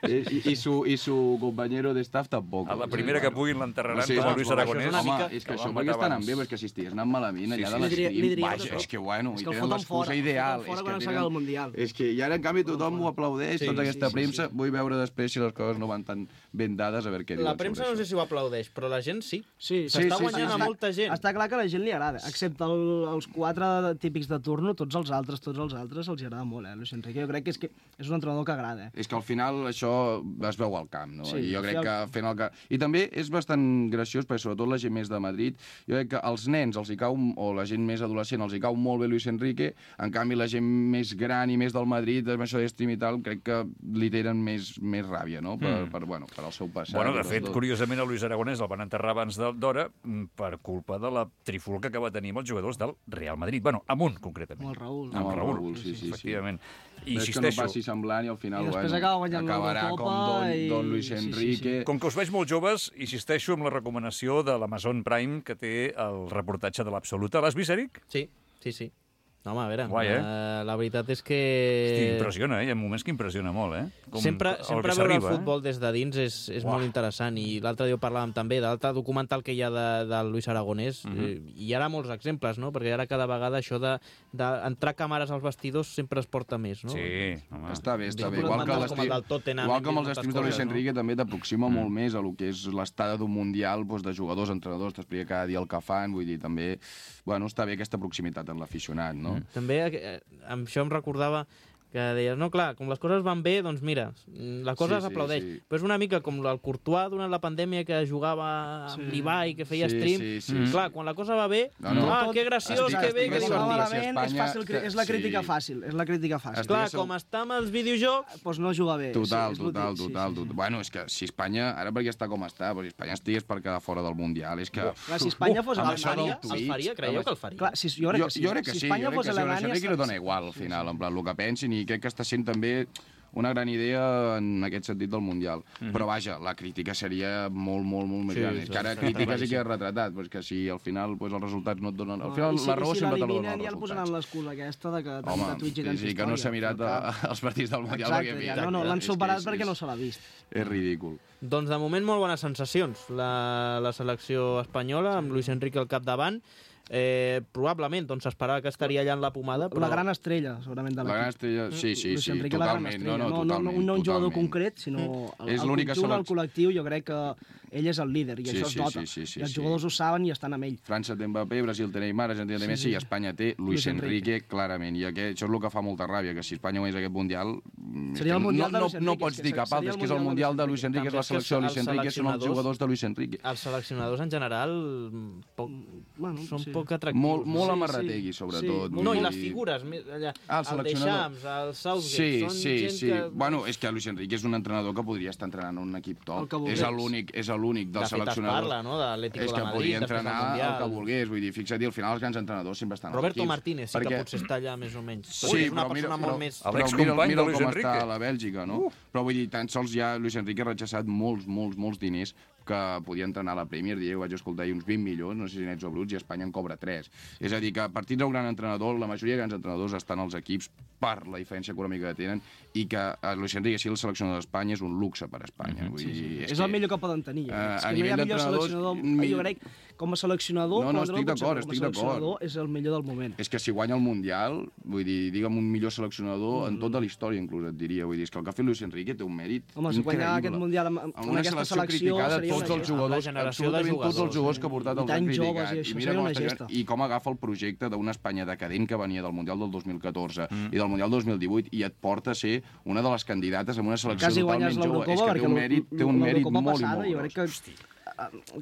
Speaker 4: I, i, su, I su compañero de staff tampoc.
Speaker 1: A la primera sí, que puguin l'enterraran
Speaker 4: sí,
Speaker 1: com a Luis Aragonès.
Speaker 4: És home, és que això perquè estan bé, perquè si estigués anant malament allà sí, sí. de l'estream, vaja, és que bueno,
Speaker 3: és
Speaker 4: i
Speaker 3: que
Speaker 4: tenen l'excusa ideal.
Speaker 3: És que, tenen...
Speaker 4: és que i ara en canvi tothom ho aplaudeix,
Speaker 2: sí,
Speaker 4: tota aquesta
Speaker 2: sí, sí,
Speaker 4: premsa.
Speaker 2: sí.
Speaker 4: Vull veure després si les coses no van tan ben dades, a veure què diuen.
Speaker 2: La premsa no sé si ho aplaudeix, però la gent sí.
Speaker 3: Sí,
Speaker 2: s'està
Speaker 3: sí,
Speaker 2: guanyant
Speaker 3: sí,
Speaker 2: a molta gent.
Speaker 3: Està clar que a la gent li agrada, excepte el, els quatre típics de turno, tots els altres, tots els altres els agrada molt, eh, Luis Enrique. Jo crec que és, que és un entrenador que agrada. Eh?
Speaker 4: És que al final això es veu al camp, no?
Speaker 3: Sí,
Speaker 4: I jo crec
Speaker 3: sí,
Speaker 4: que fent el camp... I també és bastant graciós, perquè sobretot la gent més de Madrid, jo crec que als nens els hi cau, o la gent més adolescent els hi cau molt bé Luis Enrique, en canvi la gent més gran i més del Madrid, amb això d'estream i tal, crec que li tenen més, més ràbia, no? Per, mm. per, bueno, per el seu passat.
Speaker 1: Bueno, de fet, curiosament, a Luis Aragonès el van enterrar abans d'hora per culpa de la trifulca que va tenir amb els jugadors del Real Madrid. Bueno, amb un, concretament.
Speaker 3: Amb el Raül.
Speaker 1: Amb el Raül,
Speaker 4: Raül sí, sí,
Speaker 1: efectivament.
Speaker 4: I és que no passi semblant i al final,
Speaker 3: I després
Speaker 4: bueno,
Speaker 3: acaba guanyant
Speaker 4: acabarà com Don,
Speaker 3: i...
Speaker 4: Don Luis Enrique.
Speaker 3: Sí, sí, sí.
Speaker 1: Com que us veig molt joves, insisteixo amb la recomanació de l'Amazon Prime que té el reportatge de l'Absoluta. L'has vist, Eric?
Speaker 2: Sí, sí, sí. No, home, a veure,
Speaker 1: Guai, eh?
Speaker 2: uh, la veritat és que...
Speaker 1: Hosti, impressiona, eh? Hi ha moments que impressiona molt, eh? Com
Speaker 2: sempre
Speaker 1: el
Speaker 2: sempre veure el futbol eh? des de dins és, és
Speaker 1: Uah.
Speaker 2: molt interessant, i l'altre dia ho parlàvem també de l'altre documental que hi ha de, de Luis Aragonès, uh -huh. eh, i hi ha molts exemples, no? Perquè ara cada vegada això d'entrar de, de càmeres als vestidors sempre es porta més, no?
Speaker 1: Sí, home.
Speaker 4: Està bé, està bé.
Speaker 2: Igual
Speaker 4: Igual que,
Speaker 2: com el del Tottenham,
Speaker 4: igual que amb els
Speaker 2: moltes
Speaker 4: estims de Luis
Speaker 2: coses,
Speaker 4: Enrique
Speaker 2: no?
Speaker 4: també t'aproxima mm. molt més a lo que és l'estada d'un mundial, doncs, de jugadors, entrenadors, t'explica cada dia el que fan, vull dir, també, bueno, està bé aquesta proximitat en l'aficionat, no?
Speaker 2: Mm. També eh, amb això em recordava que deies, no, clar, com les coses van bé, doncs mira, la cosa
Speaker 4: Sí, sí,
Speaker 2: s'aplaudeix.
Speaker 4: sí.
Speaker 2: Però és una mica com el Courtois durant la pandèmia que jugava amb
Speaker 3: Sí.
Speaker 2: l'Ibai, que feia
Speaker 4: Sí,
Speaker 2: stream.
Speaker 4: sí, sí,
Speaker 2: Mm.
Speaker 4: sí.
Speaker 2: Clar, quan la cosa va bé,
Speaker 4: No, no.
Speaker 2: ah, que graciós,
Speaker 4: Estic-
Speaker 2: que bé,
Speaker 4: estic
Speaker 2: que
Speaker 4: d'acord.
Speaker 2: divertit.
Speaker 3: Malament,
Speaker 4: Si
Speaker 3: és,
Speaker 4: Espanya-
Speaker 3: fàcil, cri- és la crítica
Speaker 4: sí.
Speaker 3: fàcil, és la crítica fàcil.
Speaker 4: Estic-
Speaker 2: Clar,
Speaker 4: Estic-
Speaker 2: com està amb els videojocs,
Speaker 3: Doncs no juga bé.
Speaker 4: Total,
Speaker 3: sí, és
Speaker 4: total,
Speaker 3: l'últim- sí,
Speaker 4: total,
Speaker 3: sí, sí.
Speaker 4: total. Bueno, és que si Espanya, ara perquè està com està, però si Espanya estigués per quedar fora del Mundial, és que...
Speaker 3: Clar, si Espanya fos
Speaker 4: amb
Speaker 2: el
Speaker 4: això
Speaker 3: Alemanya...
Speaker 4: del
Speaker 2: faria, el
Speaker 4: Twitch,
Speaker 2: faria, creieu
Speaker 4: amb
Speaker 2: que el faria?
Speaker 3: Clar, si, jo crec
Speaker 4: jo,
Speaker 3: que sí.
Speaker 4: jo crec que
Speaker 3: si
Speaker 4: sí,
Speaker 3: Espanya
Speaker 4: jo crec
Speaker 3: fos
Speaker 4: que sí, a
Speaker 3: Alemanya...
Speaker 4: Enrique li dona igual, al final, en plan, el que pensin, i crec que està sent també una gran idea en aquest sentit del Mundial. Mm -hmm. Però, vaja, la crítica seria molt, molt, molt més
Speaker 2: Sí,
Speaker 4: gran. És que ara
Speaker 2: sí,
Speaker 4: crítica sí
Speaker 2: sí.
Speaker 4: que és retratat, però és que si al final pues, els resultats no et donen... Al final,
Speaker 3: I si,
Speaker 4: la raó
Speaker 3: i si
Speaker 4: sempre te la donen
Speaker 3: l'eliminen
Speaker 4: els
Speaker 3: ja el posaran
Speaker 4: resultats.
Speaker 3: l'excusa aquesta de que
Speaker 4: Home,
Speaker 3: de Twitch i
Speaker 4: sí,
Speaker 3: tanta
Speaker 4: sí, que no s'ha
Speaker 3: història,
Speaker 4: mirat
Speaker 3: però
Speaker 4: a, els partits del Mundial.
Speaker 3: Exacte,
Speaker 4: perquè,
Speaker 3: ja,
Speaker 4: mira,
Speaker 3: no, no, l'han
Speaker 4: és que
Speaker 3: superat
Speaker 4: és-
Speaker 3: perquè
Speaker 4: és-
Speaker 3: no se l'ha vist.
Speaker 4: És ridícul.
Speaker 2: Doncs de moment molt bones sensacions la, la selecció espanyola, amb Luis Enrique al capdavant. Eh, probablement doncs s'esperava que estaria allà en la pomada, però
Speaker 3: La gran estrella, segurament, de
Speaker 4: La gran
Speaker 3: l'equip.
Speaker 4: estrella, sí, sí,
Speaker 3: Luis
Speaker 4: sí,
Speaker 3: Enrique, la gran
Speaker 4: totalment.
Speaker 3: estrella.
Speaker 4: No, no,
Speaker 3: no,
Speaker 4: totalment.
Speaker 3: no, no un jugador
Speaker 4: totalment.
Speaker 3: concret, sinó el,
Speaker 4: És
Speaker 3: el
Speaker 4: l'única
Speaker 3: conjunt, el
Speaker 4: selec-
Speaker 3: col·lectiu, jo crec que ell és el líder, i
Speaker 4: Sí,
Speaker 3: això
Speaker 4: sí,
Speaker 3: es nota.
Speaker 4: sí, sí, sí,
Speaker 3: I els
Speaker 4: sí.
Speaker 3: jugadors ho saben i estan amb ell.
Speaker 4: França té Mbappé, Brasil té Neymar, Argentina té Messi,
Speaker 3: sí.
Speaker 4: i Espanya té Luis
Speaker 3: Luis Enrique.
Speaker 4: Enrique, clarament. I aquest, això és el que fa molta ràbia, que si Espanya guanyés aquest Mundial... és
Speaker 3: Seria
Speaker 4: que
Speaker 3: el Mundial
Speaker 4: no,
Speaker 3: de Luis
Speaker 4: no,
Speaker 3: Enrique,
Speaker 4: no pots
Speaker 3: és que
Speaker 4: dir cap
Speaker 3: seria
Speaker 4: altre,
Speaker 3: el
Speaker 4: és que és el Mundial de Luis Enrique, és la
Speaker 2: També és que
Speaker 4: selecció de Luis
Speaker 2: els
Speaker 4: Enrique, són els
Speaker 2: seleccionadors-
Speaker 4: jugadors de Luis Enrique.
Speaker 2: els seleccionadors en general poc,
Speaker 3: Bueno,
Speaker 2: són
Speaker 3: sí.
Speaker 2: poc atractius.
Speaker 4: Molt, molt
Speaker 3: Sí,
Speaker 4: amarrategui,
Speaker 3: sí.
Speaker 4: sobretot.
Speaker 3: Sí.
Speaker 4: vull
Speaker 2: No, i
Speaker 4: dir-
Speaker 2: les figures, mi- allà,
Speaker 4: Ah, el
Speaker 2: el
Speaker 4: seleccionador.
Speaker 2: Deschamps, el Southgate,
Speaker 4: Sí,
Speaker 2: són
Speaker 4: sí,
Speaker 2: gent
Speaker 4: sí.
Speaker 2: que...
Speaker 4: Bueno, és que Luis Enrique és un entrenador que podria estar entrenant un equip
Speaker 3: El
Speaker 4: top.
Speaker 3: que volgués.
Speaker 4: És l'únic és l'únic
Speaker 2: de
Speaker 4: dels
Speaker 2: fet es
Speaker 4: seleccionadors.
Speaker 2: parla, no?, de l'Atlético
Speaker 4: És
Speaker 2: de
Speaker 4: que
Speaker 2: Madrid,
Speaker 4: podria
Speaker 2: després del
Speaker 4: entrenar el
Speaker 2: Mundial.
Speaker 4: que volgués. Vull dir, fixa't, i al final els grans entrenadors sempre estan als
Speaker 2: Roberto
Speaker 4: equips.
Speaker 2: Martínez sí que
Speaker 4: perquè-
Speaker 2: potser està allà més o menys.
Speaker 4: Sí,
Speaker 2: Ui, és una
Speaker 4: però
Speaker 2: persona
Speaker 4: mira,
Speaker 2: molt
Speaker 4: però,
Speaker 2: més...
Speaker 1: El
Speaker 4: però
Speaker 1: excompany
Speaker 4: mira,
Speaker 1: de
Speaker 4: mira
Speaker 1: Luis
Speaker 4: com
Speaker 1: Enrique.
Speaker 4: està a la Bèlgica, no? Uh. Però vull dir, tan sols ja Luis Enrique ha rechazat molts, molts, molts diners que podia entrenar a la Premier, diria, vaig escoltar ahir uns vint milions, no sé si nets o bruts, i Espanya en cobra tres. És a dir, que a partir d'un gran entrenador, la majoria de grans entrenadors estan als equips per la diferència econòmica que tenen, i que a Luis Enrique, si el seleccionador d'Espanya, és un luxe per a Espanya. Vull dir,
Speaker 3: Sí, és,
Speaker 4: és
Speaker 3: és el
Speaker 4: que-
Speaker 3: millor que poden tenir.
Speaker 4: Eh,
Speaker 3: Uh, és
Speaker 4: a
Speaker 3: que no hi ha
Speaker 4: nivell
Speaker 3: millor
Speaker 4: d'entrenadors,
Speaker 3: seleccionador.
Speaker 4: mi-
Speaker 3: Jo crec, com a seleccionador,
Speaker 4: No, no,
Speaker 3: Pedro,
Speaker 4: estic
Speaker 3: potser
Speaker 4: d'acord,
Speaker 3: com a
Speaker 4: estic d'acord.
Speaker 3: seleccionador és el millor del moment.
Speaker 4: És que si guanya el Mundial, vull dir, digue'm un millor seleccionador en tota la història, inclús, et diria. Vull dir, és que el que ha fet Luis Enrique té un mèrit
Speaker 3: Home, si
Speaker 4: increïble.
Speaker 3: guanyar aquest Mundial amb, amb,
Speaker 4: Amb
Speaker 3: amb
Speaker 4: una
Speaker 3: aquesta
Speaker 4: selecció
Speaker 3: selecció
Speaker 4: criticada,
Speaker 3: seria
Speaker 4: tots
Speaker 3: una
Speaker 4: els
Speaker 3: gesta.
Speaker 4: jugadors,
Speaker 2: Amb la generació de
Speaker 4: absolutament tots els
Speaker 2: jugadors,
Speaker 4: jugadors que ha portat
Speaker 3: I
Speaker 4: els han
Speaker 3: tan joves,
Speaker 4: criticat.
Speaker 3: i això
Speaker 4: mira
Speaker 3: seria
Speaker 4: com
Speaker 3: una
Speaker 4: està
Speaker 3: gesta.
Speaker 4: jugant. I com agafa el projecte d'una Espanya decadent que venia del Mundial del dos mil catorze mm. i del Mundial dos mil divuit i et porta a ser una de les candidates amb una selecció
Speaker 3: Quasi
Speaker 4: totalment
Speaker 3: guanyes
Speaker 4: jove. És
Speaker 3: l'Eurocopa,
Speaker 4: que té
Speaker 3: perquè
Speaker 4: un mèrit, té un mèrit
Speaker 3: l'Eurocopa
Speaker 4: molt i
Speaker 3: passada,
Speaker 4: molt
Speaker 3: jo crec
Speaker 4: gros.
Speaker 3: que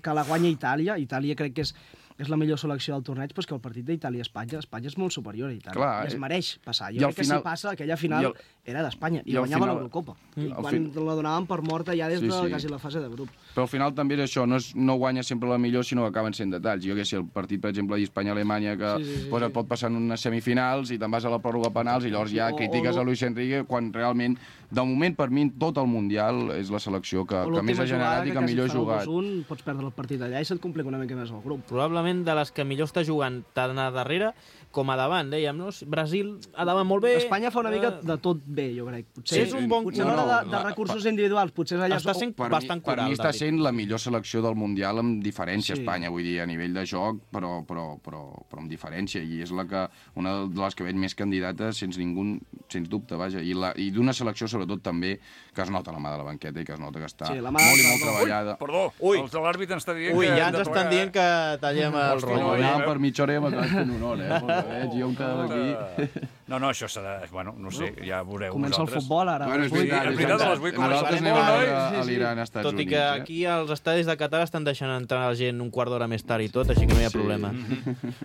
Speaker 3: que la guanya Itàlia. Itàlia crec que és, és la millor selecció del torneig, però és que el partit d'Itàlia-Espanya, Espanya és molt superior a Itàlia.
Speaker 4: Clar,
Speaker 3: I es mereix passar. Jo
Speaker 4: i
Speaker 3: crec que
Speaker 4: final-
Speaker 3: si passa, aquella final
Speaker 4: i el-
Speaker 3: era d'Espanya, i,
Speaker 4: i al
Speaker 3: guanyava
Speaker 4: final-
Speaker 3: l'Eurocopa.
Speaker 4: Mm.
Speaker 3: I
Speaker 4: Al
Speaker 3: quan
Speaker 4: fin-
Speaker 3: la donaven per morta ja des
Speaker 4: Sí,
Speaker 3: de
Speaker 4: sí.
Speaker 3: quasi la fase de grup.
Speaker 4: Però al final també és això, no, és, no guanya sempre la millor, sinó que acaben sent detalls. Jo que sé, el partit, per exemple, d'Espanya-Alemanya, que
Speaker 3: Sí, sí, sí,
Speaker 4: pues,
Speaker 3: sí.
Speaker 4: et pot passar en unes semifinals i te'n vas a la pròrroga penals i llavors ja
Speaker 3: O-
Speaker 4: critiques
Speaker 3: o-
Speaker 4: a Luis Enrique quan realment, de moment, per mi, tot el Mundial és la selecció que,
Speaker 3: O
Speaker 4: que més
Speaker 3: l'última
Speaker 4: ha generat
Speaker 3: jugada
Speaker 4: i que
Speaker 3: quasi
Speaker 4: millor ha
Speaker 3: fan el
Speaker 4: jugat.
Speaker 3: dos un, pots perdre el partit allà i se't complica una mica més el grup.
Speaker 2: Probablement de les que millor està jugant tant a darrere com a davant, dèiem, no? Brasil a davant molt bé.
Speaker 3: Espanya fa una mica
Speaker 2: Eh,
Speaker 3: de tot bé, jo crec. Potser,
Speaker 2: Sí, és un bon-
Speaker 3: potser
Speaker 2: no,
Speaker 3: a l'hora
Speaker 2: no,
Speaker 3: de, de
Speaker 4: la-
Speaker 3: recursos individuals, potser és allà...
Speaker 2: Està sent
Speaker 4: Per
Speaker 2: bastant
Speaker 4: mi, per
Speaker 2: coral,
Speaker 4: mi està
Speaker 2: David.
Speaker 4: sent la millor selecció del Mundial amb diferència,
Speaker 3: Sí.
Speaker 4: Espanya, vull dir, a nivell de joc, però, però, però, però amb diferència, i és la que, una de les que veig més candidates, sense ningú, sens dubte, vaja, i, la, i d'una selecció, sobretot, també, que es nota la mà de la banqueta i que es nota que està
Speaker 3: Sí, la mà
Speaker 4: molt i
Speaker 3: de-
Speaker 4: molt treballada.
Speaker 1: Perdó,
Speaker 2: Ui.
Speaker 1: els de l'àrbit ens està dient
Speaker 2: Ui,
Speaker 1: que...
Speaker 2: ja
Speaker 1: hem
Speaker 2: ens
Speaker 1: de
Speaker 2: estan
Speaker 1: plegar,
Speaker 2: dient que tallem el
Speaker 1: Hosti,
Speaker 2: rotllo.
Speaker 1: no,
Speaker 2: eh?
Speaker 4: Anàvem per mitja hora i hem acabat fent honor, eh? Pel que veig, jo em quedava aquí.
Speaker 1: No, no, això s'ha de... Bueno, no sé, ja veureu
Speaker 3: Comença el
Speaker 1: vosaltres.
Speaker 3: futbol ara.
Speaker 4: Bueno, és
Speaker 3: Vuit.
Speaker 4: veritat,
Speaker 1: és
Speaker 4: és
Speaker 1: veritat, a les
Speaker 4: veritat.
Speaker 1: vuit
Speaker 4: Nosaltres
Speaker 1: començarem
Speaker 4: anem a
Speaker 1: molt,
Speaker 4: veure
Speaker 3: eh?
Speaker 4: a
Speaker 3: Sí, sí.
Speaker 4: l'Iran, Estats
Speaker 2: Tot i
Speaker 4: Units.
Speaker 2: que
Speaker 4: eh?
Speaker 2: aquí als estadis de Qatar estan deixant entrar la gent un quart d'hora més tard i tot, així que no hi ha
Speaker 4: Sí.
Speaker 2: problema.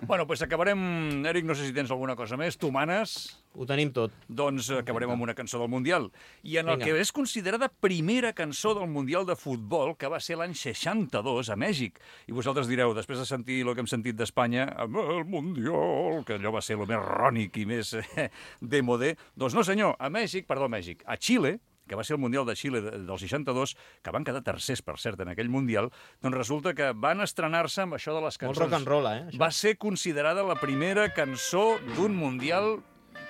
Speaker 1: Bueno, doncs acabarem... Eric, no sé si tens alguna cosa més. Tu manes...
Speaker 2: Ho tenim tot.
Speaker 1: Doncs acabarem amb una cançó del Mundial. I en el
Speaker 2: Vinga.
Speaker 1: que és considerada primera cançó del Mundial de Futbol, que va ser l'any seixanta-dos a Mèxic. I vosaltres direu, després de sentir el que hem sentit d'Espanya, amb el Mundial, que allò va ser el més rònic i més eh, demodé, doncs no senyor, a Mèxic, perdó, a Mèxic, a Xile, que va ser el Mundial de Xile de- del seixanta-dos, que van quedar tercers, per cert, en aquell Mundial, doncs resulta que van estrenar-se amb això de les
Speaker 2: Molt
Speaker 1: cançons.
Speaker 2: rock and roll, eh? Això.
Speaker 1: Va ser considerada la primera cançó d'un Mundial,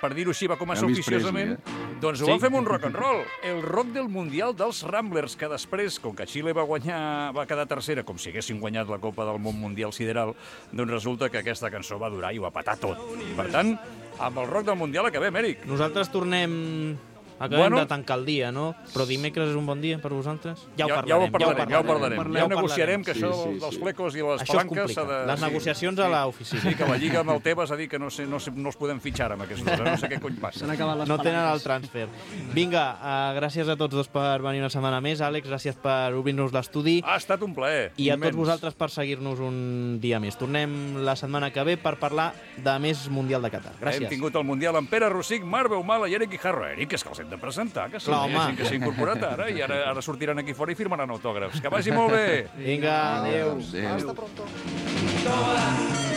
Speaker 1: per dir-ho així, va començar
Speaker 4: Elvis
Speaker 1: oficiosament.
Speaker 4: Presley,
Speaker 1: Doncs ho
Speaker 2: Sí.
Speaker 1: van fer amb un rock and roll. El rock del Mundial dels Ramblers, que després, com que Xile va guanyar, va quedar tercera, com si haguessin guanyat la Copa del Món Mundial Sideral, doncs resulta que aquesta cançó va durar i ho va patar tot. Per tant, amb el rock del Mundial acabem, Eric.
Speaker 2: Nosaltres tornem... Acabem
Speaker 1: Bueno.
Speaker 2: de tancar el dia, no? Però dimecres és un bon dia per vosaltres? Ja ho
Speaker 1: ja,
Speaker 2: parlarem.
Speaker 1: ja ho parlarem, ja ho parlarem.
Speaker 3: parlarem.
Speaker 1: Ja ho negociarem, que
Speaker 4: Sí,
Speaker 1: això
Speaker 4: sí,
Speaker 1: dels
Speaker 4: sí.
Speaker 1: flecos i les
Speaker 2: Això es
Speaker 1: palanques
Speaker 2: complica.
Speaker 1: s'ha de...
Speaker 2: Les negociacions a l'oficina.
Speaker 1: Sí, que la Lliga amb el Tebas ha dit que no, sé, no, sé, no els podem fitxar amb aquests dos, eh? No sé què cony passa.
Speaker 3: S'han acabat les
Speaker 2: No tenen el
Speaker 3: palanques.
Speaker 2: transfer. Vinga, uh, gràcies a tots dos per venir una setmana més. Àlex, gràcies per obrir-nos l'estudi.
Speaker 1: Ha estat un plaer.
Speaker 2: I a
Speaker 1: immens.
Speaker 2: tots vosaltres per seguir-nos un dia més. Tornem la setmana que ve per parlar de més Mundial de Qatar.
Speaker 1: Hem
Speaker 2: Gràcies.
Speaker 1: tingut el Mundial amb Pere Rossic, Marc Beumala i Eric Guijarro. Eric, és que els hem de presentar, que sí,
Speaker 2: Clar,
Speaker 1: hi ha
Speaker 2: home.
Speaker 1: gent que s'ha incorporat ara i ara, ara sortiran aquí fora i firmaran autògrafs. Que vagi molt bé!
Speaker 2: Vinga, adéu.
Speaker 4: Adéu.
Speaker 5: Hasta pronto.
Speaker 6: Toda